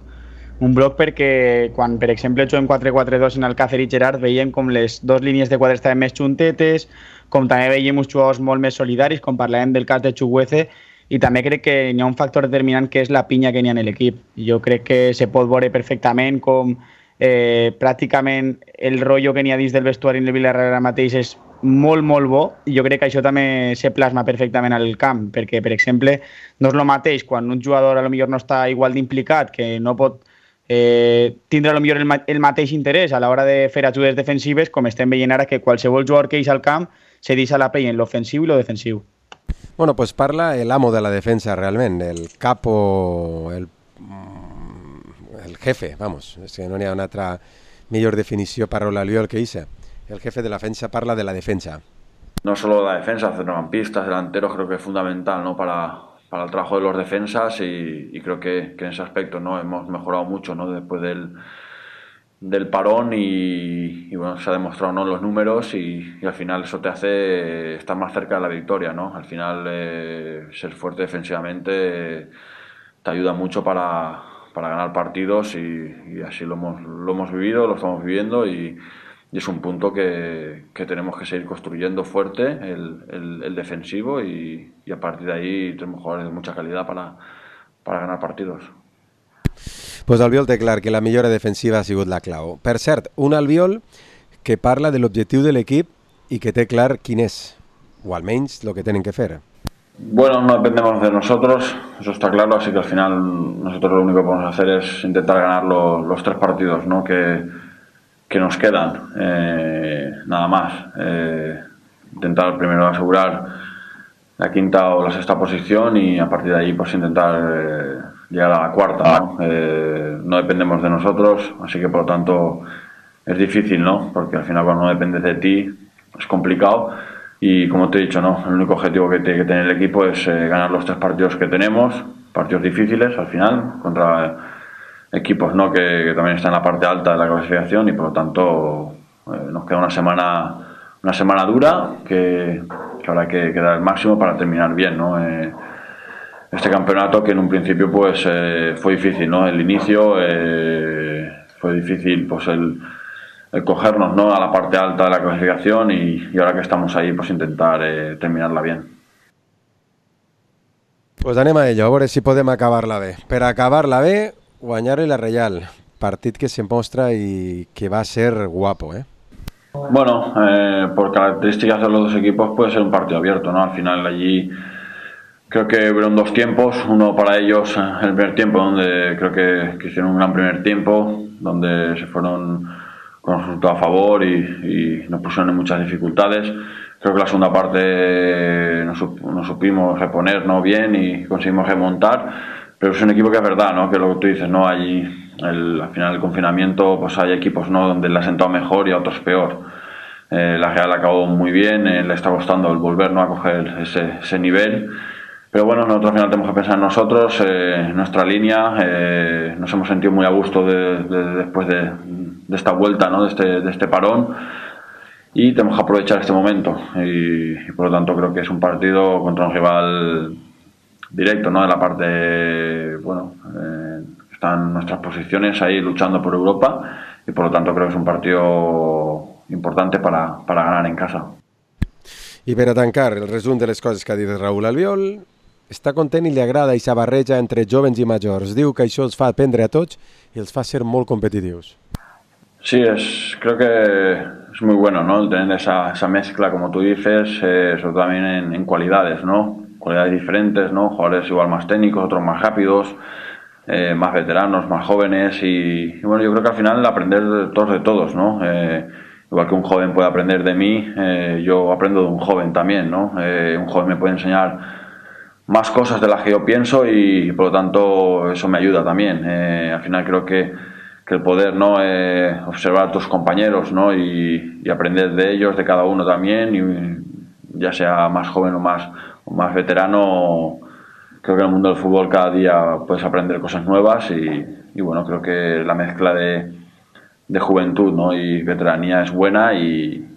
Un bloc perquè quan, per exemple, juguem 4-4-2 en Alcácer i Gerard veiem com les dues línies de quadre estaven més juntetes, com també veiem uns jugadors molt més solidaris, com parlàvem del cas de Chukwueze, i també crec que hi ha un factor determinant que és la pinya que n'hi ha en l'equip. Jo crec que se pot veure perfectament com pràcticament el rotllo que n'hi ha dins del vestuari en el Villarreal ara mateix és molt, molt bo, i jo crec que això també se plasma perfectament al camp, perquè, per exemple, no és el mateix quan un jugador a lo millor no està igual d'implicat, que no pot tindre a lo millor el mateix interès a l'hora de fer ajudes defensives, com estem veient ara que qualsevol jugador que eix al camp se deixa la pell en l'ofensiu i lo defensiu. Bueno, pues parla el amo de la defensa realment, el capo, el jefe, vamos, és que no n'hi ha una altra millor definició per l'Albiol que esa. El jefe de la defensa parla de la defensa. No solo la defensa, centrocampistas, delanteros, creo que es fundamental, ¿no? Para el trabajo de los defensas y creo que en ese aspecto, ¿no? Hemos mejorado mucho, ¿no? Después del parón y bueno, se ha demostrado, ¿no? Los números y al final eso te hace estar más cerca de la victoria, ¿no? Al final ser fuerte defensivamente te ayuda mucho para ganar partidos y así lo hemos vivido, lo estamos viviendo y es un punto que tenemos que seguir construyendo fuerte, el defensivo y a partir de ahí tenemos jugadores de mucha calidad para ganar partidos. Pues Albiol té clar que la millora defensiva ha sigut la clau. Per cert, un Albiol que parla de l'objectiu de l'equip i que té clar quin és, o almenys el que tenen que fer. Bueno, no dependemos de nosotros, eso está claro, así que al final nosotros lo único que podemos hacer es intentar ganar los 3 partidos, ¿no? que nos quedan, nada más. Intentar primero asegurar la 5ª o la 6ª posición y a partir de ahí pues intentar llegar a la 4ª, ¿no? No dependemos de nosotros, así que por lo tanto es difícil, ¿no? Porque al final cuando no dependes de ti es complicado y como te he dicho, ¿no? El único objetivo que tiene que tener el equipo es ganar los 3 partidos que tenemos, partidos difíciles al final, contra equipos, ¿no? que también están en la parte alta de la clasificación y por lo tanto nos queda una semana dura que habrá que dar el máximo para terminar bien, ¿no? Este campeonato que en un principio pues fue difícil, ¿no? El inicio fue difícil, pues el cogernos, ¿no? A la parte alta de la clasificación y ahora que estamos ahí pues intentar terminarla bien. Pues anem a ello, a veure si podem acabar-la bé. Per acabar-la bé, guanyar la Reial, partit que se mostra y que va a ser guapo, ¿eh? Bueno, por características de los dos equipos puede ser un partido abierto, ¿no? Al final allí creo que hubieron 2 tiempos, uno para ellos el primer tiempo donde creo que hicieron un gran primer tiempo, donde se fueron con un resultado a favor y nos pusieron en muchas dificultades. Creo que la segunda parte nos supimos reponer, ¿no? Bien y conseguimos remontar. Pero es un equipo que es verdad, ¿no? Que lo que tú dices, ¿no? Allí, al final del confinamiento, pues hay equipos, ¿no? Donde le ha sentado mejor y a otros peor. La Real acabó muy bien, le está costando el volver, ¿no? A coger ese nivel. Pero bueno, nosotros al final tenemos que pensar en nosotros, en nuestra línea. Nos hemos sentido muy a gusto después de esta vuelta, ¿no? De este parón. Y tenemos que aprovechar este momento. Y por lo tanto creo que es un partido contra un rival directo, ¿no? De la parte, bueno, están nuestras posiciones ahí luchando por Europa y por lo tanto creo que es un partido importante para ganar en casa. I per a tancar el resum de les coses que ha dit Raúl Albiol, està content i li agrada aquesta barreja entre jovens i majors. Diu que això els fa aprendre a tots i els fa ser molt competitius. Sí, creo que es muy bueno, ¿no? El tener esa mezcla, como tú dices, sobre todo también en cualidades, ¿no? Cualidades diferentes, ¿no? Jugadores igual más técnicos, otros más rápidos, más veteranos, más jóvenes y bueno, yo creo que al final aprender de todos, ¿no? Igual que un joven puede aprender de mí, yo aprendo de un joven también, ¿no? Un joven me puede enseñar más cosas de las que yo pienso y por lo tanto eso me ayuda también. Al final creo que el poder, ¿no? Observar a tus compañeros, ¿no? Y aprender de ellos, de cada uno también, y ya sea más joven o más veterano, creo que en el mundo del fútbol cada día puedes aprender cosas nuevas y bueno, creo que la mezcla de juventud, ¿no? Y veteranía es buena y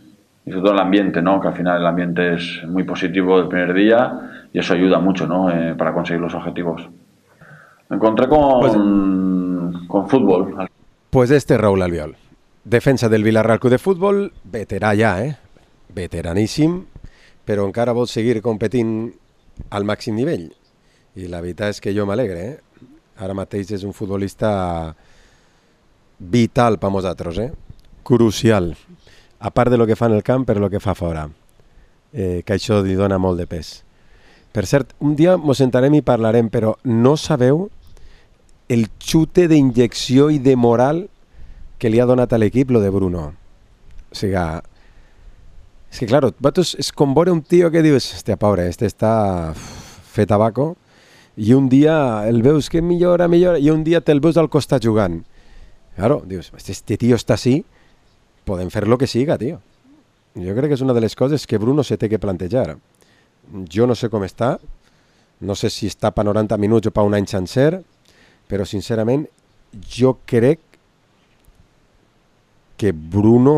sobre todo el ambiente, ¿no? Que al final el ambiente es muy positivo del primer día y eso ayuda mucho, ¿no? Para conseguir los objetivos. Me encontré con fútbol. Pues este Raúl Albiol, defensa del Villarreal Club de Futbol, veterà ja, veteraníssim, però encara vol seguir competint al màxim nivell. I la veritat és que jo m'alegre, Ara mateix és un futbolista vital per nosaltres, crucial, a part de lo que fa en el camp, per lo que fa fora, que això li dona molt de pes. Per cert, un dia mos sentarem i parlarem, però no sabeu el xute d'injecció i de moral que li ha donat a l'equip lo de Bruno. O sigui, és que, claro, és com veure un tio que dius, hòstia, pobre, este està fet tabaco, i un dia el veus que millora, i un dia te'l veus al costat jugant. Claro, dius, este tio està així, podem fer lo que siga, tio. Jo crec que és una de les coses que Bruno se té que plantejar. Jo no sé com està, no sé si està per 90 minuts o per un any sencer, però sincerament jo crec que Bruno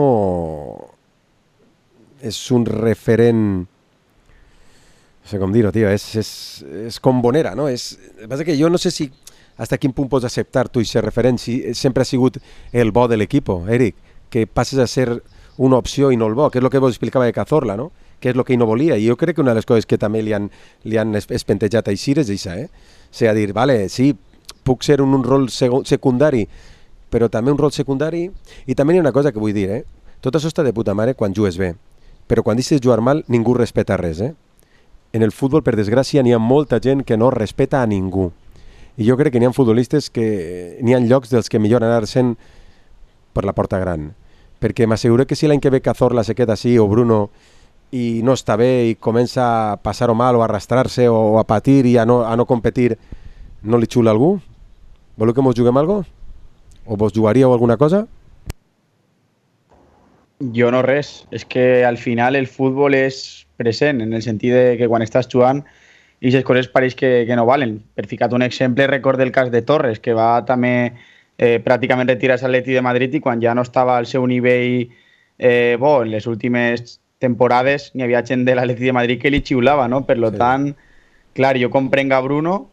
és un referent, no sé com dir-ho, tio, és com Bonera, no? El que passa que jo no sé si hasta quin punt pots acceptar tu aquest referent, si sempre ha sigut el bo de l'equip, Eric, que passes a ser una opció i no el bo, que és el que vos explicava de Cazorla, no? Que és el que ell no volia, i jo crec que una de les coses que també li han espentejat a Ixir és això, O sigui, dir, vale, sí, puc ser un rol secundari, però també un rol secundari, i també hi ha una cosa que vull dir, tot això està de puta mare quan jugues bé, però quan deixes jugar mal ningú respeta res, En el futbol, per desgràcia, n'hi ha molta gent que no respeta a ningú, i jo crec que n'hi ha futbolistes que n'hi ha llocs dels que millor anar sent per la porta gran, perquè m'asseguro que si l'any que ve Cazorla se queda així, o Bruno, i no està bé i comença a passar-ho mal o a arrastrar-se o a patir i a no competir, no li xula algú? Voleu que mos juguem algo? O vos jugaríeu alguna cosa? Jo no res. És que al final el futbol és present, en el sentit de que quan estàs jugant i aquestes coses pareix que no valen. Per ficar un exemple, recordo el cas de Torres, que va també pràcticament retirar-se a l'Atlètic de Madrid i quan ja no estava al seu nivell bo en les últimes temporades n'hi havia gent de l'Atlètic de Madrid que li xiulava, no? Per tant, clar, jo comprenc a Bruno,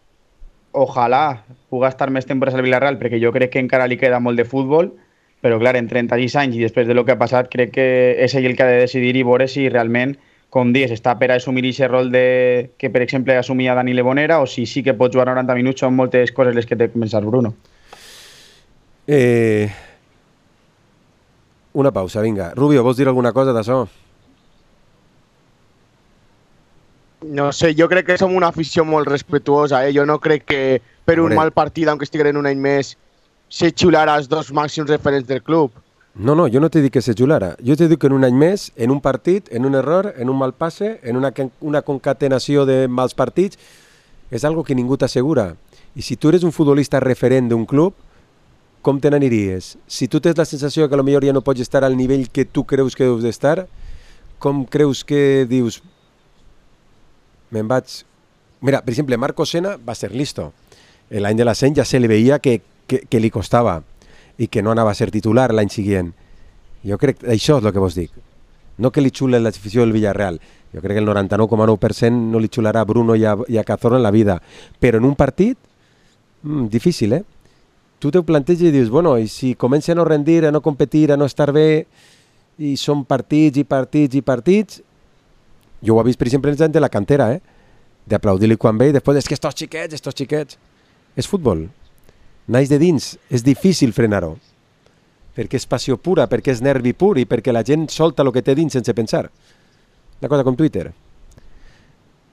ojalà pugui estar més temporades al Villarreal, perquè jo crec que encara li queda molt de futbol, però clar, en 36 anys i després de lo que ha passat, crec que és ell el que ha de decidir i veure si realment, com dius, està per a assumir aquest rol que, per exemple, assumia Dani Lebonera, o si sí que pot jugar 90 minuts, són moltes coses les que té que pensar Bruno. Una pausa, vinga. Rubio, vols dir alguna cosa d'això? No sé, jo crec que som una afició molt respetuosa, Jo no crec que per un mal partit, aunque estiguin un any més, se xulara els dos màxims referents del club. No, jo no t'he dit que se xulara. Jo t'he dit que en un any més, en un partit, en un error, en un mal passe, en una concatenació de mals partits, és algo que ningú t'assegura. I si tu eres un futbolista referent d'un club, com te n'aniries? Si tu tens la sensació que potser ja no pots estar al nivell que tu creus que deus d'estar, com creus que dius me'n vaig... Mira, per exemple, Marco Sena va ser listo. L'any de l'ascens ja se li veia que li costava i que no anava a ser titular l'any següent. Jo crec que això és el que vos dic. No que li xule l'afició del Villarreal. Jo crec que el 99,9% no li xularà a Bruno i a Cazorla en la vida. Però en un partit, difícil, Tu te ho planteges i dius, bueno, i si comença a no rendir, a no competir, a no estar bé, i són partits i partits i partits... Jo ho he vist, per exemple, en de la cantera, d'aplaudir-li quan ve i després és que estos xiquets... És futbol. Naix de dins. És difícil frenar-ho. Perquè és passió pura, perquè és nervi pur i perquè la gent solta el que té dins sense pensar. Una cosa com Twitter.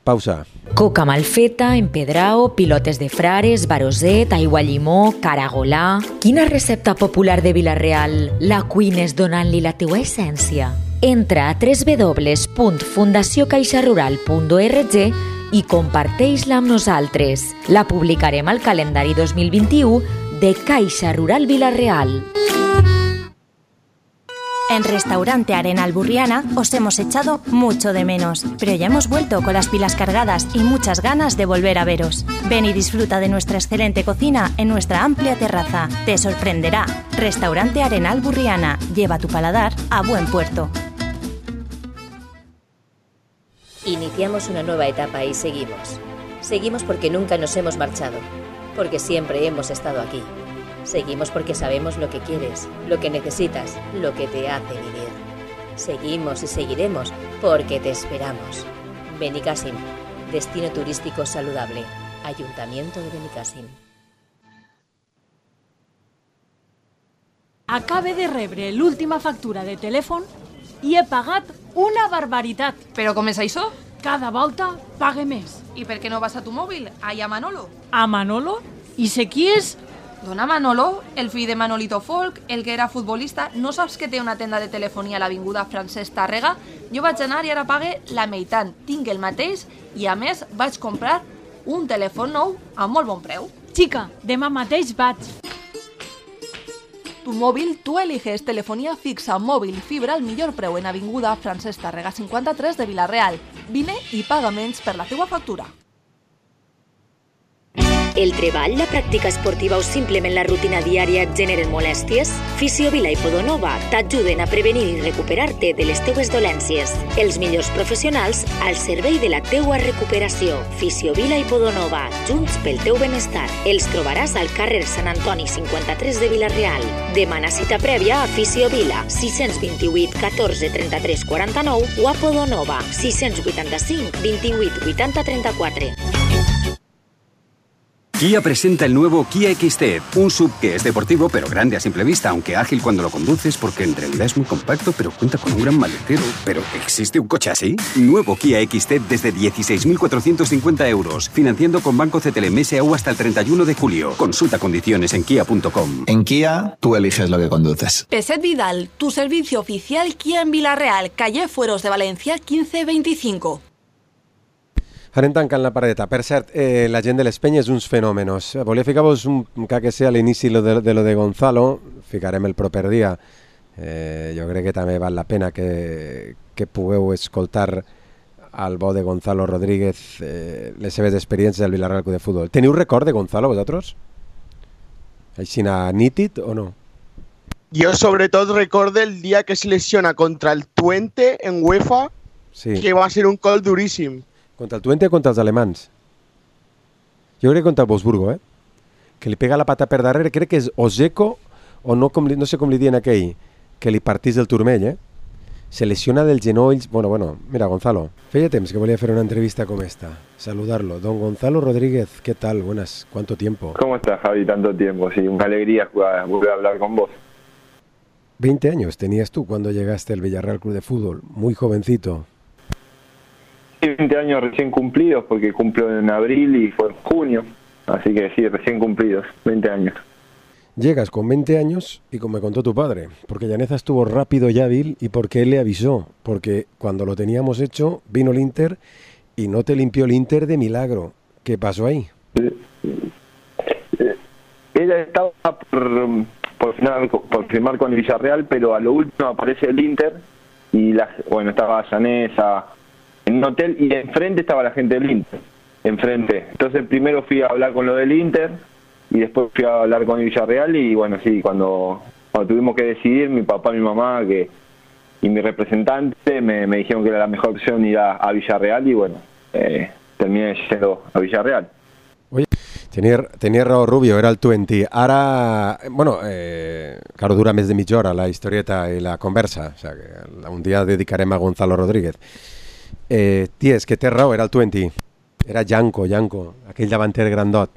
Pausa. Coca mal feta, empedrao, pilotes de frares, baroset, aigua llimó, caragolà... Quina recepta popular de Vilareal la cuines donant-li la teua essència? Entra a www.fundaciocaixarural.org i comparteix-la amb nosaltres. La publicarem al calendari 2021 de Caixa Rural Vilareal. En Restaurante Arenal Burriana os hemos echado mucho de menos, pero ya hemos vuelto con las pilas cargadas y muchas ganas de volver a veros. Ven y disfruta de nuestra excelente cocina en nuestra amplia terraza. Te sorprenderá. Restaurante Arenal Burriana. Lleva tu paladar a buen puerto. Iniciamos una nueva etapa y seguimos. Seguimos porque nunca nos hemos marchado, porque siempre hemos estado aquí. Seguimos porque sabemos lo que quieres, lo que necesitas, lo que te hace vivir. Seguimos y seguiremos porque te esperamos. Benicàssim, destino turístico saludable. Ayuntamiento de Benicàssim. Acabe de rebre l'última factura de telèfon i he pagat una barbaritat. Però com és això? Cada volta pague més. I per què no vas a tu mòbil? Allà a Manolo. A Manolo? I sé qui és? Dona Manolo, el fill de Manolito Folk, el que era futbolista. No saps que té una tenda de telefonia a l'avinguda Francesc Tàrrega? Jo vaig anar i ara pague la meitat. Tinc el mateix i a més vaig comprar un telèfon nou a molt bon preu. Xica, demà mateix vaig. Tu mòbil, tu eliges telefonia fixa, mòbil, fibra al millor preu en avinguda Francesc Tàrrega 53 de Vila-real. Vine i paga menys per la teua factura. El treball, la pràctica esportiva o simplement la rutina diària et generen molèsties? Fisiovila i Podonova t'ajuden a prevenir i recuperar-te de les teues dolències. Els millors professionals al servei de la teua recuperació. Fisiovila i Podonova, junts pel teu benestar. Els trobaràs al carrer Sant Antoni 53 de Vila-real. Demana cita prèvia a Fisiovila 628 14 33 49 o a Podonova 685 28 80 34. Kia presenta el nuevo Kia XT, un SUV que es deportivo pero grande a simple vista, aunque ágil cuando lo conduces porque en realidad es muy compacto pero cuenta con un gran maletero. ¿Pero existe un coche así? Nuevo Kia XT desde 16.450 euros, financiando con Banco CTLM SAU hasta el 31 de julio. Consulta condiciones en kia.com. En Kia, tú eliges lo que conduces. Peset Vidal, tu servicio oficial Kia en Vila-real, calle Fueros de Valencia 1525. Anem tancant la paradeta. Per cert, la gent de les penyes, uns fenòmenos. Volia ficar-vos que sea a l'inici de lo de Gonzalo, ficarem el proper dia. Jo crec que també val la pena que pugueu escoltar al bo de Gonzalo Rodríguez les seves experiències al Vila-real Club de Futbol. Teniu record de Gonzalo, vosaltres? Així nítid o no? Yo sobre todo recuerdo el día que se lesiona contra el Twente en UEFA, sí. Que va a ser un gol durísimo. Contra el Twente o contra els alemans? Jo crec que contra el Wolfsburgo, que li pega la pata per darrere, crec que és Ozeko, o no sé com li diuen aquell, que li partís del turmell, Se lesiona del genoll. Bueno, mira, Gonzalo, feia temps que volia fer una entrevista com esta. Saludarlo. Don Gonzalo Rodríguez, ¿qué tal? Buenas, ¿cuánto tiempo? ¿Cómo estás, Javi? Tanto tiempo, sí, una alegría volver a hablar con vos. 20 años tenías tú cuando llegaste al Villarreal Club de Fútbol, muy jovencito. 20 años recién cumplidos, porque cumplo en abril y fue en junio, así que sí, recién cumplidos, 20 años. Llegas con 20 años y como me contó tu padre, porque Llaneza estuvo rápido y hábil y porque él le avisó, porque cuando lo teníamos hecho vino el Inter y no te limpió el Inter de milagro. ¿Qué pasó ahí? Ella estaba por firmar con el Villarreal, pero a lo último aparece el Inter y estaba Llaneza en un hotel y enfrente estaba la gente del Inter, enfrente. Entonces primero fui a hablar con lo del Inter y después fui a hablar con el Villarreal y bueno, sí, cuando tuvimos que decidir, mi papá, mi mamá y mi representante me dijeron que era la mejor opción ir a Villarreal y bueno, terminé yendo a Villarreal. Oye, tenía raó Rubio, era el Twente. Ara, claro, dura més de mitja hora la historieta i la conversa, o sea, que un dia dedicarem a Gonzalo Rodríguez. Ties, que té raó, era el Twente. Era Janko, aquell davanter grandot.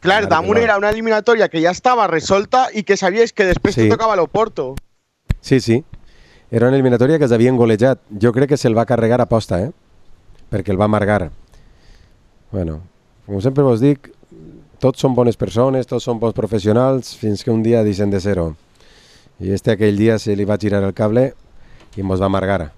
Claro, damunt era una eliminatoria que ya estaba resolta y que sabíais que després te tocava l'Oporto. Sí. Era una eliminatòria que els havien golejat. Jo crec que se'l va carregar a posta, perquè el va amargar. Bueno, com sempre vos dic, tots són bones persones, tots són bons professionals, fins que un dia deixen de ser-ho. I aquell dia se li va girar el cable i mos va amargar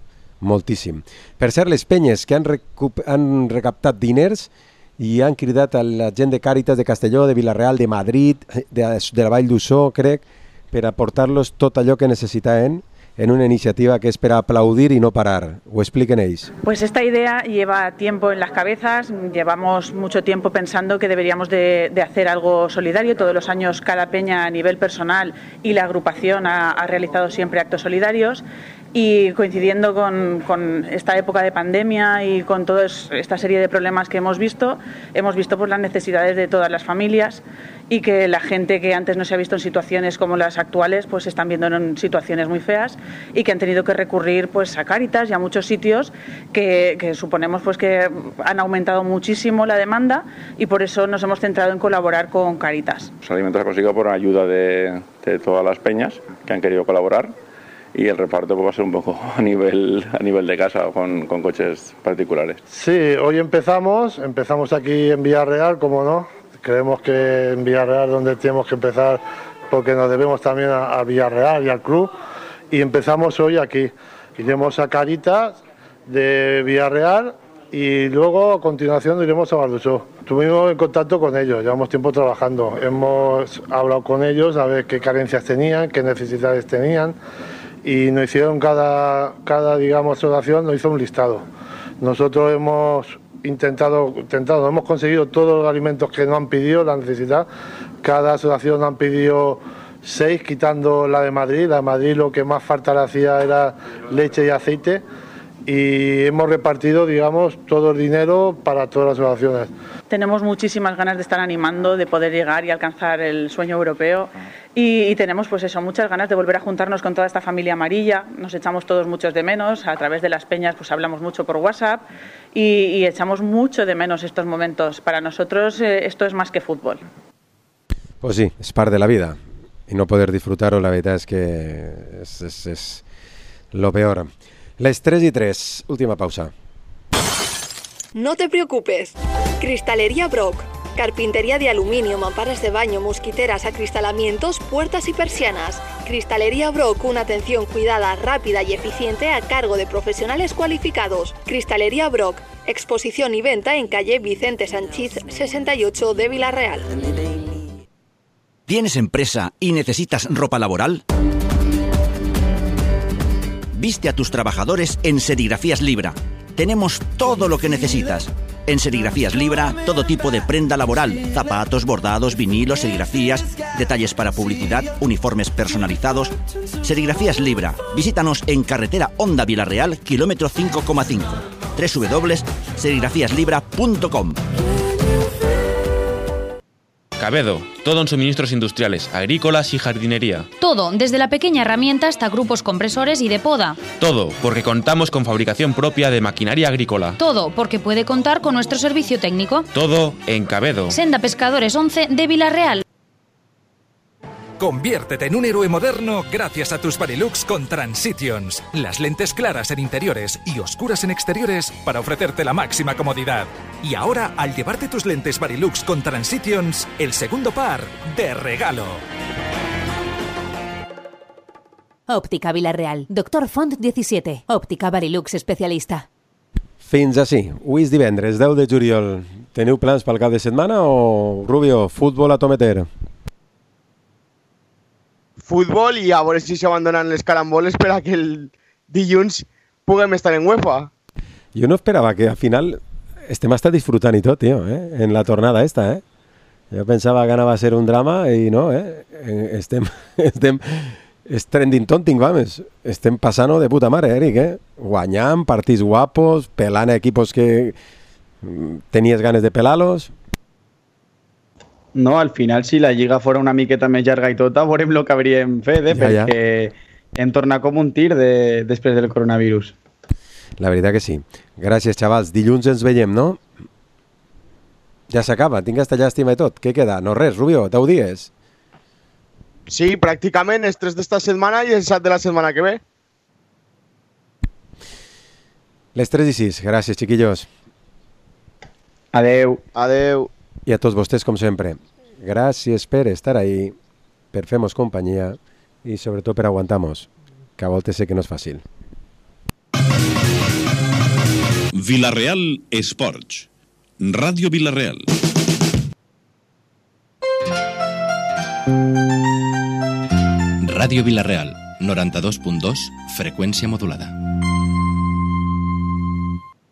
moltíssim. Per cert, les penyes que han recaptat diners i han cridat a la gent de Càritas de Castelló, de Vila-real, de Madrid, de la Vall d'Uixó, crec, per aportar-los tot allò que necessitaven en una iniciativa que es para aplaudir y no parar. ¿O expliquen ellos? Pues esta idea lleva tiempo en las cabezas, llevamos mucho tiempo pensando que deberíamos de hacer algo solidario. Todos los años cada peña a nivel personal y la agrupación ha realizado siempre actos solidarios. y coincidiendo con esta época de pandemia y con toda esta serie de problemas que hemos visto pues las necesidades de todas las familias y que la gente que antes no se ha visto en situaciones como las actuales pues se están viendo en situaciones muy feas y que han tenido que recurrir pues a Cáritas y a muchos sitios que suponemos pues que han aumentado muchísimo la demanda y por eso nos hemos centrado en colaborar con Cáritas. Los alimentos se han conseguido por ayuda de todas las peñas que han querido colaborar. Y el reparto pues, va a ser un poco a nivel de casa con coches particulares. Sí, hoy empezamos aquí en Villarreal, como no. Creemos que en Villarreal es donde tenemos que empezar porque nos debemos también a Villarreal y al club. Y empezamos hoy aquí. Iremos a Cáritas de Villarreal y luego a continuación iremos a Bardusó. Estuvimos en contacto con ellos, llevamos tiempo trabajando. Hemos hablado con ellos a ver qué carencias tenían, qué necesidades tenían. Y nos hicieron cada digamos, asociación nos hizo un listado. Nosotros hemos intentado, hemos conseguido todos los alimentos que nos han pedido, la necesidad. Cada asociación nos han pedido 6, quitando la de Madrid. La de Madrid lo que más falta le hacía era leche y aceite. Y hemos repartido, digamos, todo el dinero para todas las asociaciones. Tenemos muchísimas ganas de estar animando, de poder llegar y alcanzar el sueño europeo y tenemos pues eso, muchas ganas de volver a juntarnos con toda esta familia amarilla. Nos echamos todos muchos de menos, a través de las peñas pues hablamos mucho por WhatsApp y echamos mucho de menos estos momentos. Para nosotros esto es más que fútbol. Pues sí, es parte de la vida y no poder disfrutarlo la verdad es que es lo peor. Les 3:03, última pausa. No te preocupes. Cristalería Brock. Carpintería de aluminio, mamparas de baño, mosquiteras, acristalamientos, puertas y persianas. Cristalería Brock, una atención cuidada, rápida y eficiente a cargo de profesionales cualificados. Cristalería Brock, exposición y venta en calle Vicente Sanchís 68 de Villarreal. ¿Tienes empresa y necesitas ropa laboral? Viste a tus trabajadores en Serigrafías Libra. Tenemos todo lo que necesitas. En Serigrafías Libra, todo tipo de prenda laboral, zapatos, bordados, vinilos, serigrafías, detalles para publicidad, uniformes personalizados. Serigrafías Libra. Visítanos en carretera Honda Villarreal, kilómetro 5,5. www.serigrafíaslibra.com. Cabedo, todo en suministros industriales, agrícolas y jardinería. Todo, desde la pequeña herramienta hasta grupos compresores y de poda. Todo, porque contamos con fabricación propia de maquinaria agrícola. Todo, porque puede contar con nuestro servicio técnico. Todo en Cabedo. Senda Pescadores 11 de Villarreal. Conviértete en un héroe moderno gracias a tus Varilux con Transitions. Las lentes claras en interiores y oscuras en exteriores para ofrecerte la máxima comodidad. Y ahora, al llevarte tus lentes Varilux con Transitions, el segundo par de regalo. Òptica Villarreal. Doctor Font 17. Òptica Varilux especialista. Fins així. Avui és divendres, 10 de juliol. Teniu plans pel cap de setmana o, Rubio, futbol a tometer? Futbol i a veure si s'abandonen les caramboles per a que el dilluns puguem estar en UEFA. Jo no esperava que al final estem hasta disfrutant i tot, tio, en la tornada esta, Jo pensava que anava a ser un drama i no, estem és trending tonting, vamos. Estem passant-ho de puta mare, Eric, Guanyant, partits guapos, pelant equipos que tenies ganes de pelar-los. No, al final, si la lliga fora una miqueta més llarga i tota, veurem el que hauríem fet, perquè hem tornat com un tir després del coronavirus. La veritat que sí. Gràcies, xavals. Dilluns ens veiem, no? Ja s'acaba, tinc aquesta llàstima i tot. Què queda? No res, Rubio, 10 dies. Sí, pràcticament els 3 d'esta setmana i els 7 de la setmana que ve. Les 3:06. Gràcies, chiquillos. Adeu. Adeu. I a tots vostès, com sempre, gràcies per estar ahí, per fer-nos companyia i sobretot per aguantar-nos, que a voltes sé que no és fàcil. Villarreal Esports. Ràdio Villarreal. Ràdio Villarreal, 92.2, freqüència modulada.